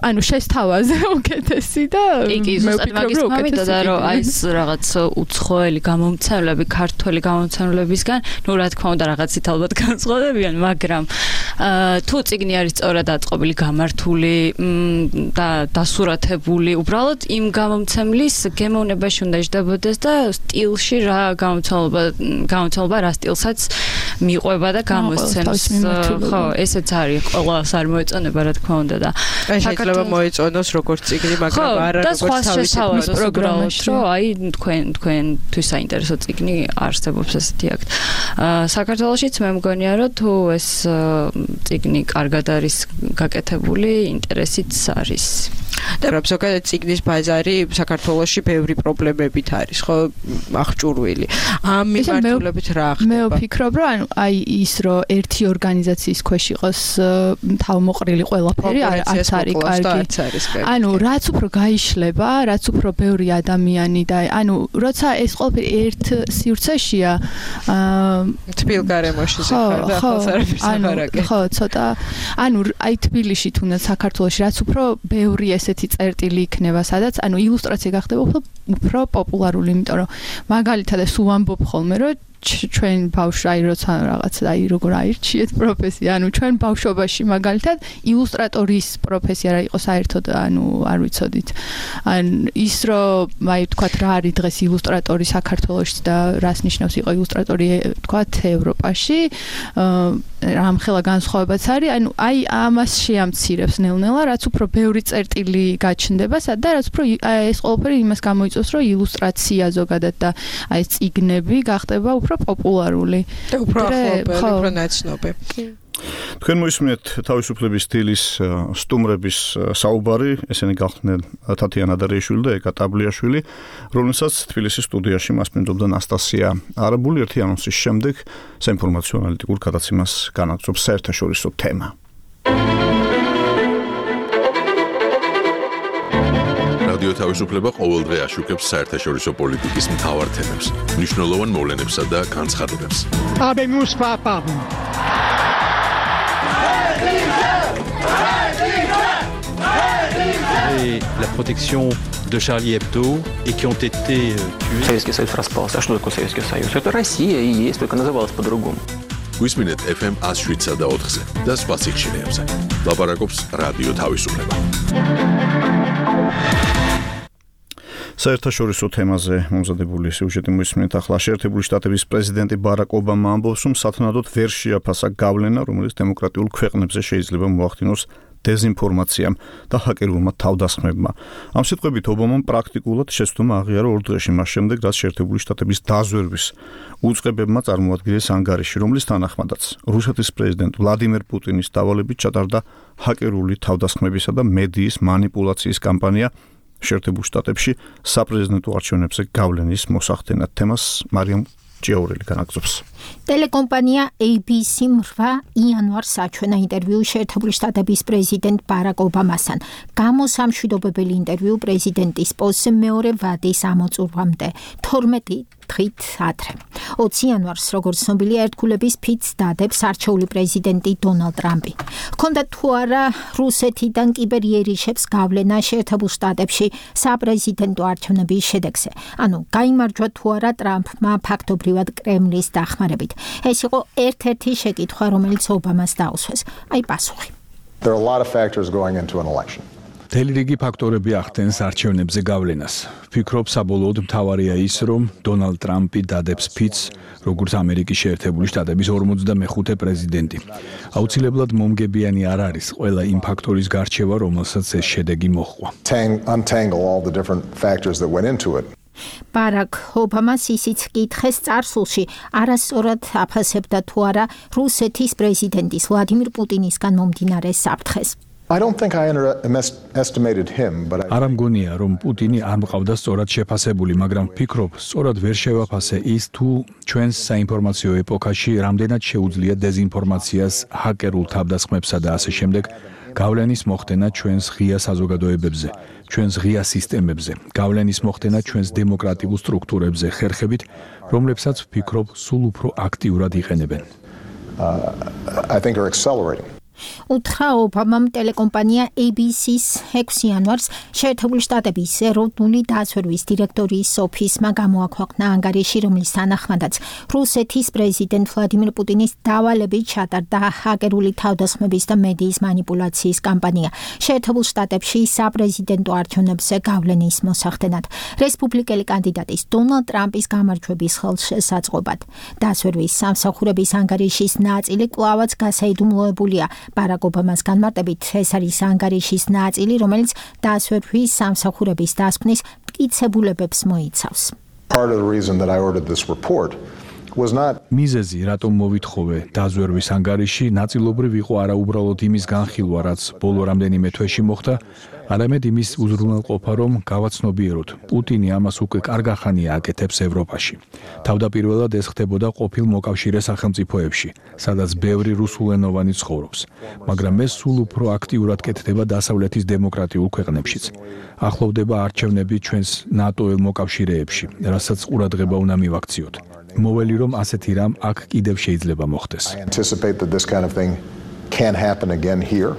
ანუ შესთავაზე უკეთესი და მე ვფიქრობ რომ უკეთესია რომ აი ეს რაღაც უცხოელი გამომცემლები ქართველი გამომცემლებისგან, ნუ რა თქმა უნდა რაღაცით ალბათ განსხვავდებიან, მაგრამ თუ წიგნი არის სწორად აწყობილი, გამართული და დასურათებული, უბრალოდ იმ გამომცემლის გემოვნებაში უნდა ჯდებოდეს და სტილში რა გამომცემლობა რა სტილსაც მიყვება და გამოსცემს. ხო, ესეც არის ყველას არ მოეწონება რა თქმა უნდა და შეიძლება მოეწონოს როგორც წიგნი, მაგრამ არა როგორც თავისი პროგრამაში, რომ აი თქვენთვის საინტერესო წიგნი არსებობს ესეთი აქტ. საქართველოშიც მე მგონია რომ თუ ეს წიგნი კარგად არის გაკეთებული, ინტერესიც არის. და რა ზოგადად წიგნის ბაზარი საქართველოში ბევრი პრობლემებით არის, ხო, აღჭურვილი. ამ მიმართულებით რა ხდება? მე ვფიქრობ, რომ აი ის რომ ერთი ორგანიზაციის ქვეშ იყოს თავმოყრილი ყველაფერი არც არის კარგი. ანუ რაც უფრო გაიშლება, რაც უფრო ბევრი ადამიანი და ანუ როცა ეს ყველაფერი ერთ სივრცეშია, თბილ გარემოში ზეხარ და ხალხარების აღარაკე. ხო, ცოტა ანუ აი თბილისში თუნდაც საქართველოში რაც უფრო ბევრი ესეთი წერტილი იქნება, სადაც ანუ ილუსტრაცია გახდება უფრო პოპულარული, იმიტომ რომ მაგალითად ეს უამბობ ხოლმე, რომ ჩვენ ბავშვი აი როცა რაღაც აი როგორ აირჩიეთ პროფესია, ანუ ჩვენ ბავშვობაში მაგალითად ილუსტრატორის პროფესია რა იყო საერთოდ, ანუ არ ვიცოდით. ან ის რომ აი თქვათ რა არის დღეს ილუსტრატორი საქართველოში და რას ნიშნავს იყო ილუსტრატორი თქვათ ევროპაში, რამხელა განსხვავებაც არის, ანუ აი ამას შეამცირებს ნელ-ნელა, რაც უფრო ბევრი წერტილი გაჩნდება და რაც უფრო ეს ყველაფერი იმას გამოიწვევს, რომ ილუსტრაცია ზოგადად და აი წიგნები გახდება უფრო პოპულარული და უფრო ახლობელი, უფრო ნაცნობი. თქვენ მოისმენთ თავისუფლების სტილის სტუმრების საუბარი, ესენი გახდნენ თათიანა დარიაშვილი და ეკა ტაბლიაშვილი, რომელსაც თბილისის სტუდიაში მასპინძლობდა ნასტასია არაბული. ერთი ანონსის შემდეგ საინფორმაციო ანალიტიკურ გადაცემას განაგრძობს საერთაშორისო თემა. რადიო თავისუფლება ყოველდღე აშუქებს საერთაშორისო პოლიტიკის მთავარ თემებს, მნიშვნელოვან მოვლენებსა და განცხადებებს. Habemus papam. Et la protection de Charlie Hebdo et qui ont été tués. Советский Союз распался. А что такое Советский Союз? Это Россия и есть, только называлась по-другому. Висминет FM 107 და 4-ზე და სხვა სიხშირეებზე. ლაპარაკობს რადიო თავისუფლება. საერთაშორისო თემაზე მომზადებული სიუჟეტი მოისმენთ ახლა. შეერთებული შტატების პრეზიდენტი ბარაკ ობამა ამბობს, რომ სათანადოდ ვერ შეაფასა გავლენა, რომელიც დემოკრატიულ ქვეყნებზე შეიძლება მოახდინოს დეზინფორმაციამ და ჰაკერულმა თავდასხმებმა. ამ სიტყვებით ობამამ პრაქტიკულად შეცდომა აღიარა 2 დღეში მას შემდეგ, რაც შეერთებული შტატების დაზვერვის უწყებებმა წარმოადგინეს ანგარიში, რომლის თანახმადაც რუსეთის პრეზიდენტ ვლადიმერ პუტინის დავალებით ჩატარდა ჰაკერული თავდასხმებისა და მედიის манипуляციის კამპანია შეერთებულ შტატებში საპრეზიდენტო არჩევნებზე გავლენის მოსახდენად. თემას მარიამ ჭიაურელი განაგრძობს. ტელეკომპანია ABC-მ 8 იანვარს აჩვენა ინტერვიუ შეერთებული შტატების პრეზიდენტ ბარაკ ობამასთან. გამოსამშვიდობებელი ინტერვიუ პრეზიდენტის პოსტზე მეორე ვადის ამოწურვამდე 12 დღით ადრე. 20 იანვარს, როგორც ცნობილია, ერთგულების ფიცს დადებს არჩეული პრეზიდენტი დონალდ ტრამპი. ჰქონდა თუ არა რუსეთიდან კიბერიერიშებს გავლენა შეერთებულ შტატებში საპრეზიდენტო არჩევნების შედეგზე. ანუ გაიმარჯვა თუ არა ტრამპმა ფაქტობრივად კრემლის დახმარებით. ეს იყო ერთ-ერთი შეკითხვა, რომელიც ობამას დაუსვეს. აი პასუხი. There are a lot of factors going into an election. მთელი რიგი ფაქტორები ახდენს არჩევნებზე გავლენას. ვფიქრობ, საბოლოოდ მთავარია ის, რომ დონალდ ტრამპი დადებს ფიცს, როგორც ამერიკის შეერთებული შტატების 45 პრეზიდენტი. აუცილებლად მომგებიანი არ არის ყველა იმ ფაქტორის გარჩევა, რომელსაც ეს შედეგი მოჰყვა. Untangle all the different factors that went into it. ბარაკ ობამას ისიც კითხეს წარსულში არასწორად აფასებდა თუ არა რუსეთის პრეზიდენტის ვლადიმირ პუტინისგან მომდინარე საფრთხეს. I don't think I underestimated him, but არ მგონია, რომ პუტინი არ მყავდა სწორად შეფასებული, მაგრამ ვფიქრობ, სწორად ვერ შევაფასე ის, თუ ჩვენს საინფორმაციო ეპოქაში რამდენად შეუძლია დეზინფორმაციას, ჰაკერულ თავდასხმებსა და ასე შემდეგ გავლენის მოხდენა ჩვენს ღია საზოგადოებებზე, ჩვენს ღია სისტემებზე, გავლენის მოხდენა ჩვენს დემოკრატიულ სტრუქტურებზე ხერხებით, რომლებსაც ვფიქრობ, სულ უფრო აქტიურად იყენებენ. I think are accelerating. უთხრა ობამამ ტელეკომპანია ABC-ს 6 იანვარს შეერთებული შტატების ეროვნული დაზვერვის დირექტორის ოფისმა გამოაქვეყნა ანგარიში, რომლის თანახმადაც რუსეთის პრეზიდენტ ვლადიმირ პუტინის დავალებით ჩატარდა ჰაკერული თავდასხმების და მედიის მანიპულაციის კამპანია შეერთებულ შტატებში საპრეზიდენტო არჩევნებზე გავლენის მოსახდენად რესპუბლიკელი კანდიდატის დონალდ ტრამპის გამარჯვების ხელშესაწყობად. დაზვერვის სამსახურების ანგარიშის ნაწილი კვლავაც გასაიდუმლოებულია. ბარაკ ობამას განმარტებით, ეს არის ანგარიშის ნაწილი, რომელიც დაზვერვის სამსახურების დასკვნის მტკიცებულებებს მოიცავს. Part of the reason that I ordered this report was not მიზეზი, რატომ მოვითხოვე დაზვერვის ანგარიში, ნაწილობრივ იყო არა უბრალოდ იმის განხილვა, რაც ბოლო რამდენიმე თვეში მოხდა, არამედ იმის უზრუნველყოფა, რომ გავაცნობიეროთ, პუტინი ამას უკვე კარგახანია აკეთებს ევროპაში. თავდაპირველად ეს ხდებოდა ყოფილ მოკავშირე სახელმწიფოებში, სადაც ბევრი რუსულენოვანი ცხოვრობს, მაგრამ ეს სულ უფრო აქტიურად კეთდება დასავლეთის დემოკრატიულ ქვეყნებშიც. ახლოვდება არჩევნები ჩვენს ნატოელ მოკავშირეებში, რასაც ყურადღება უნდა მივაქციოთ. მოველი რომ ასეთი რამ აქ კიდევ შეიძლება მოხდეს. I anticipate that this kind of thing can happen again here.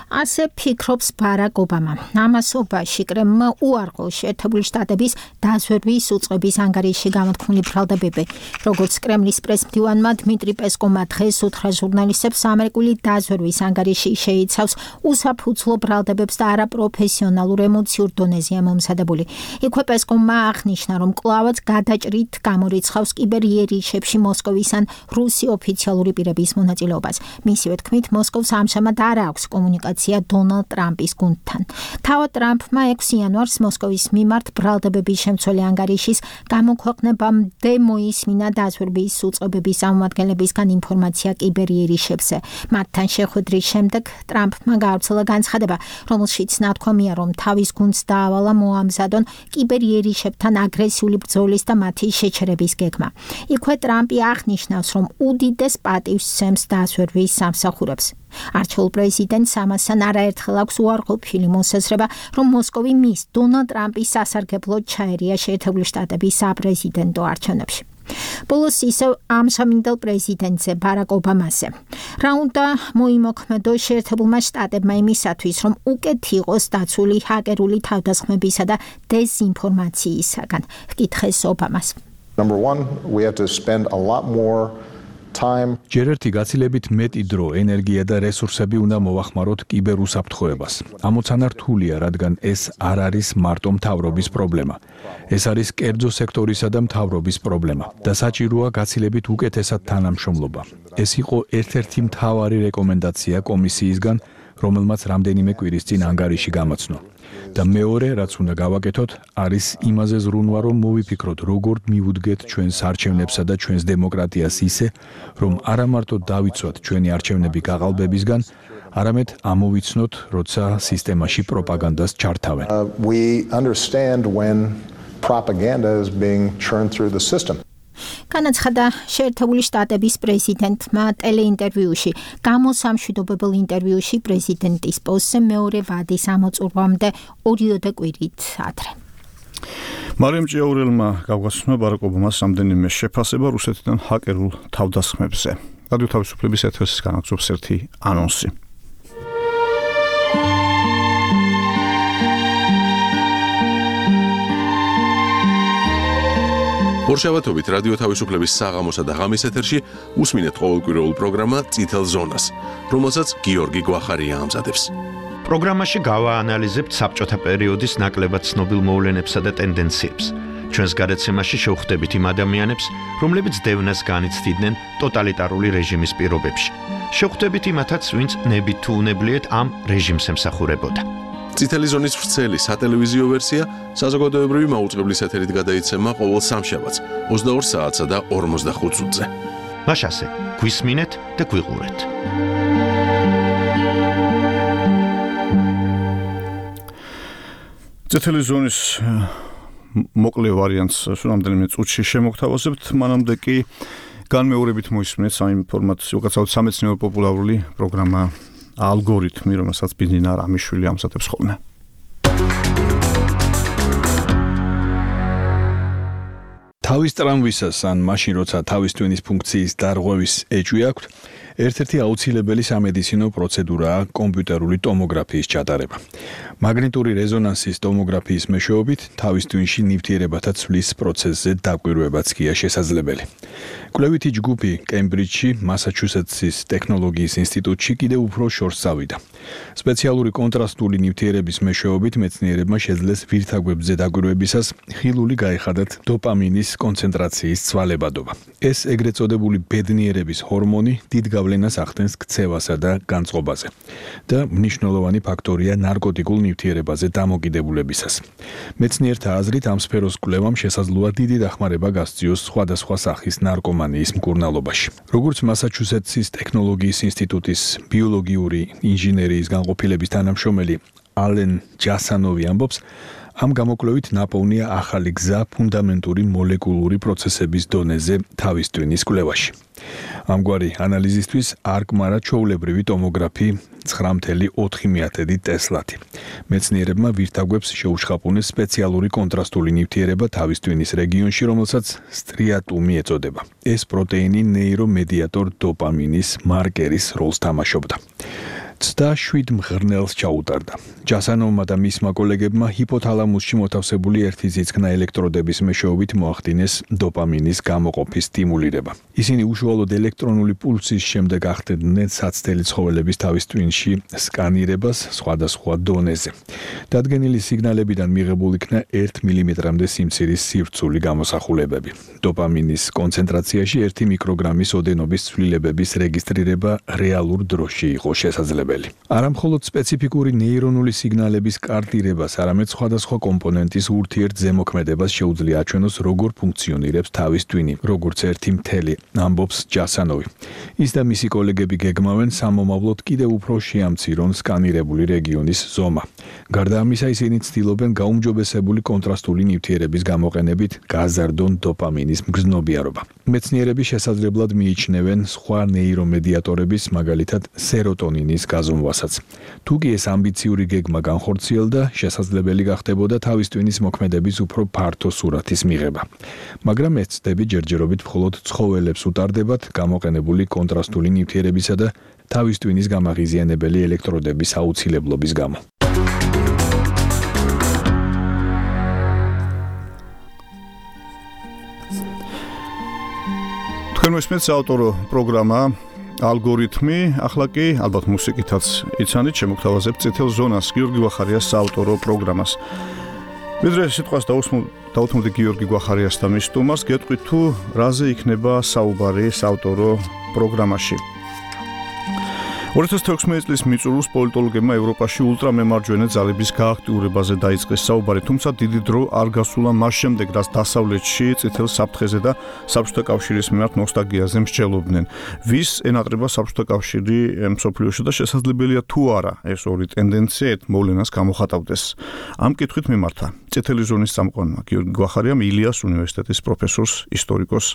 ასე ფიქრობს ბარაკ ობამა. ამასობაში კრემლმა უარყო შეერთებული შტატების დაზვერვის უწყების ანგარიში გამოთქმული ბრალდებები. როგორც კრემლის პრესმდივანმა დმიტრი პესკოვმა დღეს უთხრა ჟურნალისტებს, ამერიკული დაზვერვის ანგარიში შეიცავს უსაფუძვლო ბრალდებებს და არაპროფესიონალურ ემოციურ დონეზეა მომზადებული. იქვე პესკოვმა აღნიშნა, რომ კვლავაც გადაჭრით გამორიცხავს კიბერიერიშებში მოსკოვის ან რუსი ოფიციალური პირების მონაწილეობას. მისივე თქმით, მოსკოვს ამჟამად არ აქვს კომუნიკაცია დონალდ ტრამპის გუნდთან. თავად ტრამპმა 6 იანვარს მოსკოვის მიმართ ბრალდებების შემცველი ანგარიშის გამოქვეყნებამდე მოისმინა დაზვერვის უწყებების წარმომადგენლებისგან ინფორმაცია კიბერიერიშებზე. მათთან შეხვედრის შემდეგ ტრამპმა გაავრცელა განცხადება, რომელშიც ნათქვამია, რომ თავის გუნდს დაავალა მოამზადონ კიბერიერიშებთან აგრესიული ბრძოლის და მათი შეჩერების გეგმა. იქვე ტრამპი აღნიშნავს, რომ უდიდეს პატივს სცემს დაზვერვის სამსახურებს. არჩეულ პრეზიდენტს ამასთან არაერთხელ აქვს უარყოფილი მოსაზრება, რომ მოსკოვი მის დონალდ ტრამპის სასარგებლოდ ჩაერია შეერთებული შტატების საპრეზიდენტო არჩევნებში. ბოლოს ისევ ამჟამინდელ პრეზიდენტზე ბარაკ ობამაზე. რა უნდა მოიმოქმედო შეერთებულმა შტატებმა იმისათვის, რომ უკეთ იყოს დაცული ჰაკერული თავდასხმებისა და დეზინფორმაციისაგან? ჰკითხეს ობამას. Number 1, we have to spend a lot more time. ჯერ ერთი გაცილებით მეტი დრო, ენერგია და რესურსები უნდა მოვახმაროთ კიბერუსაფრთხოებას. ამოცანა რთულია, რადგან ეს არ არის მარტო მთავრობის პრობლემა. ეს არის კერძო სექტორისა და მთავრობის პრობლემა და საჭიროა გაცილებით უკეთესად თანამშრომლობა. ეს იყო ერთ-ერთი მთავარი რეკომენდაცია კომისიისგან, რომელმაც რამდენიმე კვირის წინ ანგარიში გამოცნო. და მეორე, რაც უნდა გავაკეთოთ, არის იმაზე ზრუნვა, რომ მოვიფიქროთ, როგორ მივუდგეთ ჩვენს არჩევნებსა და ჩვენს დემოკრატიას ისე, რომ არა მარტო დავიცვათ ჩვენი არჩევნები გაყალბებისგან, არამედ ამოვიცნოთ, როცა სისტემაში პროპაგანდას ჩართავენ. We understand when propaganda is being churned through the system. განაცხადა შეერთებული შტატების პრეზიდენტმა ტელეინტერვიუში. გამოსამშვიდობებელ ინტერვიუში პრეზიდენტის პოსტზე მეორე ვადის ამოწურვამდე 2 კვირით ადრე. მარიამ ჭიაურელმა გავგაცნო ბარაკ ობამას რამდენიმე შეფასება რუსეთიდან ჰაკერულ თავდასხმებზე. რადიო თავისუფლების ეთერს განაგზობს ერთი ანონსი. ორშაბათობით რადიო თავისუფლების საღამოსა და ღამის ეთერში უსმინეთ ყოველკვირეულ პროგრამა წითელ ზონას, რომელსაც გიორგი გვახარია ამზადებს. პროგრამაში გავაანალიზებთ საბჭოთა პერიოდის ნაკლებად ცნობილ მოვლენებსა და ტენდენციებს. ჩვენს გადაცემაში შევხვდებით იმ ადამიანებს, რომლებიც დევნას განიცდიდნენ ტოტალიტარული რეჟიმის პირობებში. შევხვდებით იმათაც, ვინც ნებით თუ უნებლიეთ ამ რეჟიმს ემსახურებოდა. წითელი ზონის ვრცელი სატელევიზიო ვერსია საზოგადოებრივი მაუწყებლის ეთერით გადაიცემა ყოველ სამშაბათს 22 საათსა და 45 წუთზე. მაშასე, გვისმინეთ და გვიყურეთ. წითელი ზონის მოკლე ვარიანტს რამდენიმე წუთში შემოგთავაზებთ, მანამდე კი განმეორებით მოისმინეთ საინფორმაციო გაცავთ სამეცნიერო პოპულარული პროგრამა ალგორითმი, რომელსაც ბინძინა რამიშვილი ამზადებს ხოლმე. თავის ტრამვისას ან მაშინ როცა თავის ტვინის ფუნქციის დარღვევის ეჭვი აქვთ, ერთ-ერთი აუცილებელი სამედიცინო პროცედურაა კომპიუტერული ტომოგრაფიის ჩატარება. მაგნიტური რეზონანსის ტომოგრაფიის მეშვეობით თავის ტვინში ნივთიერებათა ცვლის პროცესზე დაკვირვებაც კი შესაძლებელი. კვლევითი ჯგუფი კემბრიჯში, მასაჩუსეტსის ტექნოლოგიის ინსტიტუტში კიდევ უფრო შორს წავიდა. სპეციალური კონტრასტული ნივთიერების მეშვეობით მეცნიერებმა შეძლეს ვირთაგვებზე დაკვირვებისას ხილული გაეხადათ დოპამინის კონცენტრაციის ცვალებადობა. ეს ეგრეთ წოდებული ბედნიერების ჰორმონი დიდ გავლენას ახდენს ქცევასა და განწყობაზე და მნიშვნელოვანი ფაქტორია ნარკოტიკულ ნივთიერებაზე დამოკიდებულებისას. მეცნიერთა აზრით ამ სფეროს კვლევამ შესაძლოა დიდი დახმარება გასწიოს სხვადასხვა სახის ნარკომანიის მკურნალობაში. როგორც მასაჩუსეტსის ტექნოლოგიის ინსტიტუტის ბიოლოგიური ინჟინერიის განყოფილების თანამშრომელი ალენ ჯასანოვი ამბობს, ამ გამოკვლევით ნაპოვნია ახალი გზა ფუნდამენტური მოლეკულური პროცესების დონეზე თავის ტვინის კვლევაში. ამგვარი ანალიზისთვის არკმარა ჩვეულებრივი ტომოგრაფი 9.4 ტესლათი. მეცნიერებმა ვირთაგვებს შეუშხაპუნეს სპეციალური კონტრასტული ნივთიერება თავის ტვინის რეგიონში, რომელსაც სტრიატუმი ეწოდება. ეს პროტეინი ნეირომედიატორ დოპამინის მარკერის როლს თამაშობდა. 7 მღრნელს ჩაუტარდა. ჯასანოვმა და მისმა კოლეგებმა ჰიპოთალამუსში მოთავსებული ერთი ძიძქნა ელექტროდების მეშვეობით მოახდინეს დოპამინის გამოყოფის სტიმულირება. ისინი უშუალოდ ელექტრონული პულსის შემდეგ ახდენდნენ საცდელი ცხოველების თავის ტვინში სკანირებას სხვადასხვა დონეზე. დადგენილი სიგნალებიდან მიღებულ იქნა 1 მმ-მდე სიმცირის სივრცული გამოსახულებები. დოპამინის კონცენტრაციაში 1 მიკროგრამის ოდენობის ცვლილებების რეგისტრირება რეალურ დროში იყო შესაძლებელი. არა მხოლოდ სპეციფიკური ნეირონული სიგნალების კარტირებას, არამედ სხვადასხვა კომპონენტის ურთიერთზემოქმედებას შეუძლია აჩვენოს, როგორ ფუნქციონირებს თავის ტვინი, როგორც ერთი მთელი, ამბობს ჯასანოვი. ის და მისი კოლეგები გეგმავენ სამომავლოდ კიდევ უფრო შეამცირონ სკანირებული რეგიონის ზომა. გარდა ამისა, ისინი ცდილობენ გაუმჯობესებული კონტრასტული ნივთიერების გამოყენებით გაზარდონ დოპამინის მგრძნობიარობა. მეცნიერები შესაძლებლად მიიჩნევენ სხვა ნეირომედიატორების, მაგალითად სეროტონინის გაზომვასაც. თუ კი ეს ამბიციური გეგმა განხორციელდა, შესაძლებელი გახდებოდა თავის ტვინის მოქმედების უფრო ფართო სურათის მიღება. მაგრამ ეს ცდები ჯერჯერობით მხოლოდ ცხოველებს უტარდებათ გამოყენებული კონტრასტული ნივთიერებისა და თავის ტვინის გამაღიზიანებელი ელექტროდების აუცილებლობის გამო. თქვენ მოსმენთ საავტორო პროგრამა ალგორითმი, ახლა კი ალბათ მუსიკითაც იცანით, შემოგთავაზებთ წითელ ზონას, გიორგი გვახარიას საავტორო პროგრამას. ვიდრე სიტყვას დაუთმობდი გიორგი გვახარიას და მის სტუმარს, გეტყვით თუ რაზე იქნება საუბარი საავტორო პროგრამაში. 2016 წლის მიწურულს პოლიტოლოგებმა ევროპაში ულტრამემარჯვენე ძალების გააქტიურებაზე დაიწყეს საუბარი, თუმცა დიდი დრო არ გასულა მას შემდეგ, რაც დასავლეთში წითელ საფრთხეზე და საბჭოთა კავშირის მიმართ ნოსტალგიაზე მსჯელობდნენ. ვის ენატრება საბჭოთა კავშირი მსოფლიოში და შესაძლებელია თუ არა ეს ორი ტენდენცია ერთ მოვლენას გამოხატავდეს. ამ კითხვით მიმართა წითელი ზონის წამყვანმა გიორგი გვახარიამ ილიას უნივერსიტეტის პროფესორს, ისტორიკოს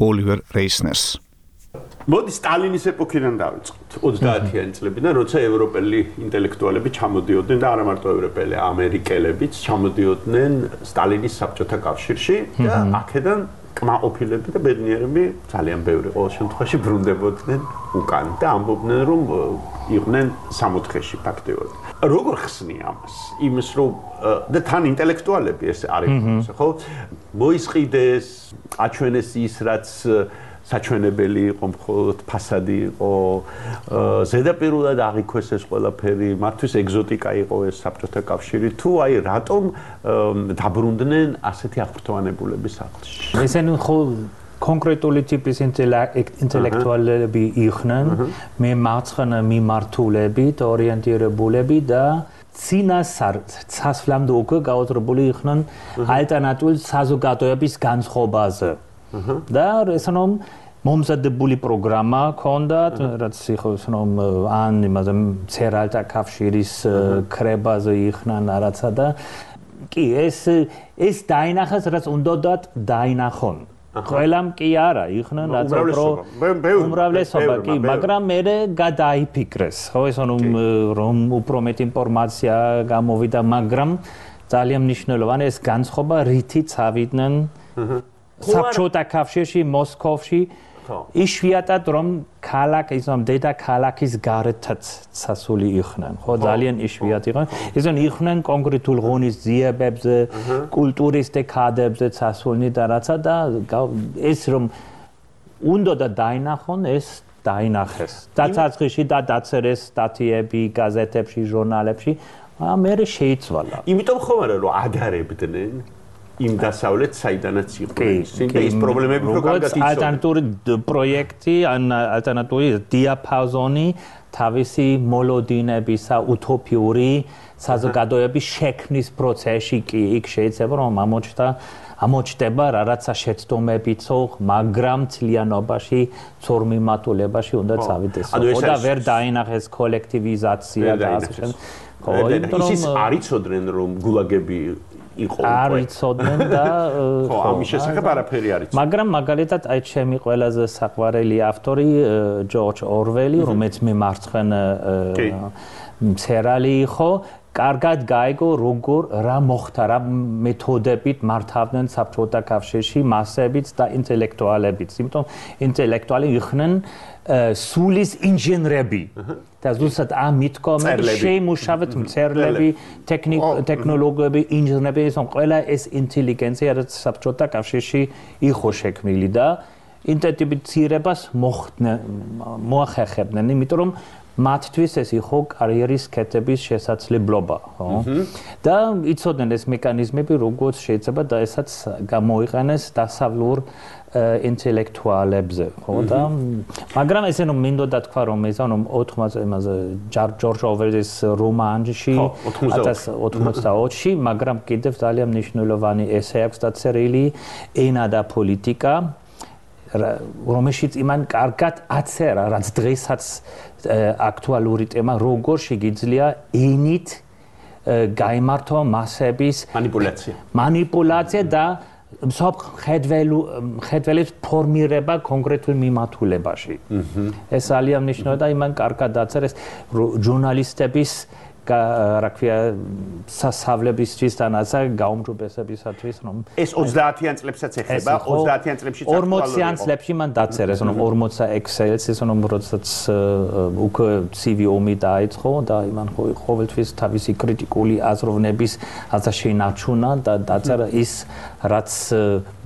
ოლივერ რეისნერს. მოდი სტალინის ეპოქიდან დავიწყოთ 30-იანი წლებიდან, როცა ევროპელი ინტელექტუალები ჩამოდიოდნენ და არა მარტო ევროპელი, ამერიკელებიც ჩამოდიოდნენ სტალინის საბჭოთა კავშირში და აქედან კმაყოფილები და ბედნიერები ძალიან ბევრი ყოველ შემთხვევაში ბრუნდებოდნენ უკან და ამბობდნენ, რომ იყვნენ სამოთხეში ფაქტიურად. როგორ ხსნია ამას? იმის რომ და თან ინტელექტუალები ეს არის, ხო? მოისყიდეს, აჩვენეს ის, რაც საჩვენებელი იყო, მხოლოდ ფასადი იყო, ზედაპირულად აღიქვეს ეს ყველაფერი, მათთვის ეგზოტიკა იყო ეს საბჭოთა კავშირი, თუ აი რატომ დაბრუნდნენ ასეთი აღფრთოვანებულების სახლში? ესენი ხო კონკრეტული ტიპის ინტელექტუალები იყვნენ, მე მარცხენა მიმართულებით, ორიენტირებულები და წინასწრამდე უკვე გაუძრებული იყვნენ ალტერნატიული საზოგადოების განწყობაზე. და ესეnom მომზადებული პროგრამა ჰქონდათ, რაც იხოსnom ან იმაზე ცერალთა კავშირის კრებაზე იყვნენ არაცა და კი ეს დაინახეს, რაც უნდათ დაინახონ. ყველამ კი არა, იყვნენ რაც უმრავლესობა კი, მაგრამ მე გადაიფიქრეს, ხო, ესეnom რომ უფრო მეტი ინფორმაცია გამოვიდა, მაგრამ ძალიან მნიშვნელოვანი ეს განწყობა რითიც ავიდნენ საბჭოთა კავშირში, მოსკოვში იშვიათად რომ ქალაქის რომ დედა ქალაქის გარეთაც სასული იყვნენ ხო ძალიან იშვიათი იყვნენ ისინი იყვნენ კონკრეტულ ღონისძიებებზე კულტურის დეკადებზე სასულნი და რაცა და ეს რომ უნდა და დაინახონ ეს დაინახეს დაცაცხლში და დაწერეს სტატიები გაზეთებში ჟურნალებში მე შეიცვალა იმიტომ ხომ არა რომ ადარებდნენ იმ დასავლეთ საიდანაც იყვნენ ის პრობლემები რო კარგად იცოდნენ ალტერნატიული პროექტი ან ალტერნატიული დიაპაზონი თავისი მოლოდინებისა უთოპიური საზოგადოების შექმნის პროცესში კი იქ შეიძლება რომ ამოჩნდება რაღაცა შეცდომებიცო მაგრამ თლიანობაში ცორმიმატულებაში უნდა წავიდეს და ვერ დაინახეს კოლექტივიზაცია და ასე შემდეგ ის არიცოდნენ რომ გულაგები იყო არიცოდნენ და ხო ამის შესახებ არაფერი არ იცოდნენ მაგრამ მაგალითად აი ჩემი ყველაზე საყვარელი ავტორი ჯორჯ ორველი რომელიც მემარცხენე მწერალი იყო კარგად გაიგო როგორ რა მოხდა რა მეთოდებით მართავდნენ საბჭოთა კავშირში მასებიც და ინტელექტუალებიც იმიტომ ინტელექტუალი იყვნენ სულის ინჟინრები და ზუსტად ამ მითქომები შეიმუშავეთ მწერლები ტექნოლოგიები ინჟინრები ისო ყველა ეს ინტელიგენცია რაც საბჭოთა კავშირში იყო შექმნილი და ინტენსივირებას მოახერხებდნენ იმიტომ რომ მათთვის ეს იყო კარიერის კეთების შესაძლებლობა, ხო? და იცოდნენ ეს მექანიზმები, როგორც შეიძლება და ესაც გამოიყენეს დასავლურ ინტელექტუალებზე, ხო? და მაგრამ ესე რომ მინდოდა თქვა რომ ეს ანუ 80-ზე ჯორჯ ორველის რომანში 1984-ში, მაგრამ კიდევ ძალიან მნიშვნელოვანი ესე აქვს დაწერილი ენა და პოლიტიკა რომელშიც იმან კარგად აწერა, რაც დღესაც აქტუალური თემა, როგორ შეგიძლია ენით გაიმართვა მასების მანიპულაცია და ხედველის ფორმირება კონკრეტულ მიმართულებაში. ეს ძალიან მნიშვნელოვანია და იმან კარგად აწერეს ჟურნალისტების რა ქვია სასწავლებისთვის და ნაცა გაუმჯობესებისათვის რომ ეს 30-იან წლებსაც ეხება 30-იან წლებში 40-იან წლებში მან დაწერეს რომ 40 Excel-ს ის რომ როდესაც უკვე CV ომი დაიწყო და იმან ყოველთვის თავისი კრიტიკული აზროვნების აზრშენაჩუნა და დაწერა ის რაც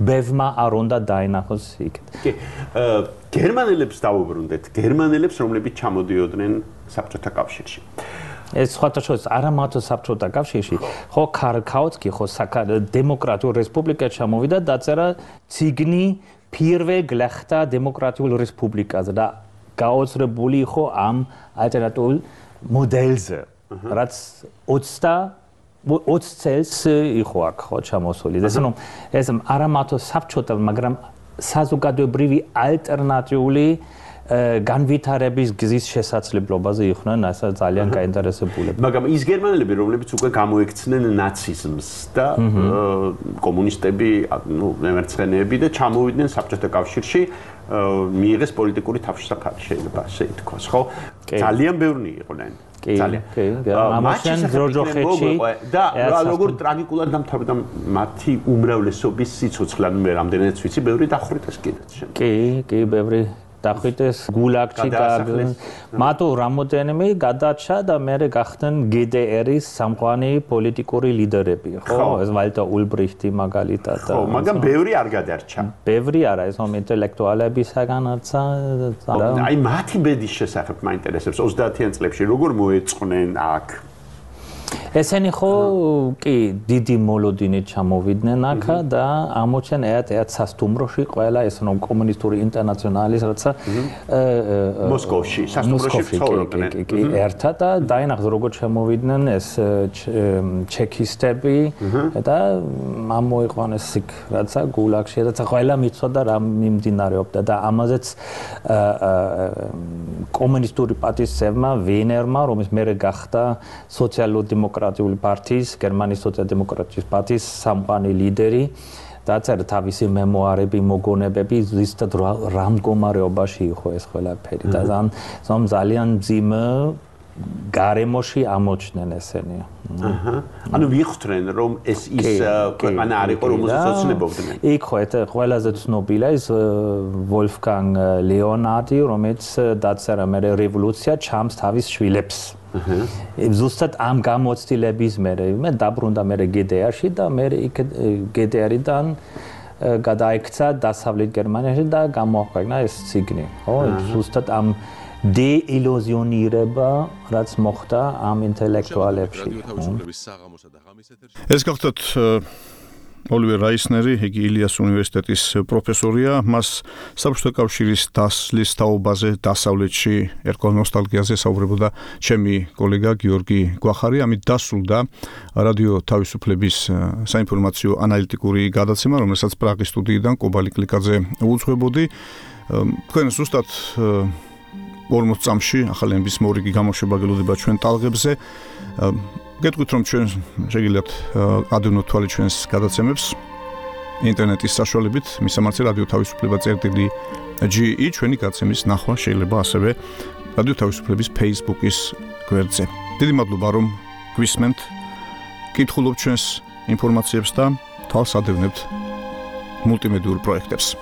ბევმა არ უნდა დაინახოს იქ. კი გერმანელებს დავუბრუნდეთ გერმანელებს რომლებიც ჩამოდიოდნენ საბჭოთა კავშირში ეს სხვათა შორის არა მარტო საბჭოთა კავშირში, ხო კარლ კაუტსკი ხო დემოკრატიულ რესპუბლიკაში ჩამოვიდა და დაწერა ციგნი პირველ გლეხთა დემოკრატიულ რესპუბლიკაზე და გაოცრებული იყო ამ ალტერნატიულ მოდელზე, რაც 20 წელს იყო აქ ხო ჩამოსული. ეს არა მარტო საბჭოთა, მაგრამ საზოგადოებრივი ალტერნატიული განვითარების გზის შესაძლებლობაზე იყვნენ ასე ძალიან გაინტერესებულები. მაგრამ ის გერმანელები, რომლებიც უკვე გამოექცნენ ნაციზმს და კომუნისტები, ნუ მემარცხენეები და ჩამოვიდნენ საბჭოთა კავშირში, მიიღეს პოლიტიკური თავშესაფარი, შეიძლება ასე ითქვას, ხო? ძალიან ბევრი იყვნენ. ძალიან. ამაშენ ჯორჯოხეთში და როგორ ტრაგიკულად დამთავრდა მათი უმრავლესობის სიცოცხლე, ანუ მე რამდენადაც ვიცი, ბევრი დახვრიტეს კიდეც შემდეგ. კი, ბევრი დახვრიტეს გულაგში მათო რამოდენიმე გადაჭა და მერე გახდნენ GDR-ის სამყარო პოლიტიკური ლიდერები, ხო? ეს ვალტა ულბრიხტი მაგალითად. ხო, მაგრამ ბევრი არ გადარჩა. ბევრი არა, ეს ინტელექტუალებისაგანაცა აი მათი ბედის შესახებ მაინტერესებს 30-იან წლებში როგორ მოეწყნენ აქ ესენი ხო კი დიდი მოლოდინით ჩამოვიდნენ აქ და ამოჩენ ერთ სასტუმროში ყველა ეს რომ კომუნისტური ინტერნაციონალის რაცა მოსკოვში სასტუმროში ცხოვრობდნენ კი ერთად და დაინახეს როგორ ჩამოვიდნენ ეს ჩეკისტები და ამოიყვანეს იქ რაცა გულაგში რაცა ყველა მიცოდა რა მიმდინარეობდა და ამაზეც კომუნისტური პარტიის ვენერმა რომელიც მერე გახდა სოციალ-დემოკრატიული პარტიის, გერმანიის სოციალ-დემოკრატიის პარტიის სამყარო ლიდერი დაწერა თავისი მემუარები, მოგონებები, ზუსტად რა მდგომარეობაში იყო ეს ყველაფერი და ძალიან მძიმე გარემოში ამოჩნდნენ ესენი. ანუ ვიხსენ რომ ეს ის ქვეყანა არ იყო რომელსაც ოცნებობდნენ. იქ ხო ყველაზე ცნობილია ის ვოლფგანგ ლეონარდი, რომელიც დაწერა მე რევოლუცია ჩამს თავის შვილებს. ზუსტად ამ გამოცდილების მერე მე დაბრუნდა მე გდრ-ში და მე გდრ-დან გადაიქცა დასავლეთ გერმანიაში და გამოაქვეყნა ეს ციგნი. ხო, ზუსტად ამ დეილუზიონირება რაც მოხდა ამ ინტელექტუალებში. ეს გახლავთ ოლივერ რაისნერი, იგი ილიას უნივერსიტეტის პროფესორია, მას საბჭოთა კავშირის დასლის თაობაზე დასავლეთში ერქვა ნოსტალგიაზე საუბრებოდა ჩემი კოლეგა გიორგი გვახარი, ამით დასრულდა რადიო თავისუფლების საინფორმაციო ანალიტიკური გადაცემა, რომელსაც პრაღის სტუდიიდან კობალი კლიკაძე უძღვებოდი. თქვენ ზუსტად 40 წამში ახალი ენების მორიგი გამოშვება გელოდება ჩვენ ტალღებზე. გეტყვით რომ ჩვენ შეგიძლიათ ადევნოთ თვალე ჩვენს გადაცემებს ინტერნეტის საშუალებით, მისამართზე რადიო თავისუფლება წერტილი.ge ჩვენი გადაცემის ნახვა შეიძლება ასევე რადიო თავისუფლების Facebook-ის გვერდზე. დიდი მადლობა რომ გვისმენთ, კითხულობთ ჩვენს ინფორმაციებს და თვალს ადევნებთ მულტიმედიურ პროექტებს.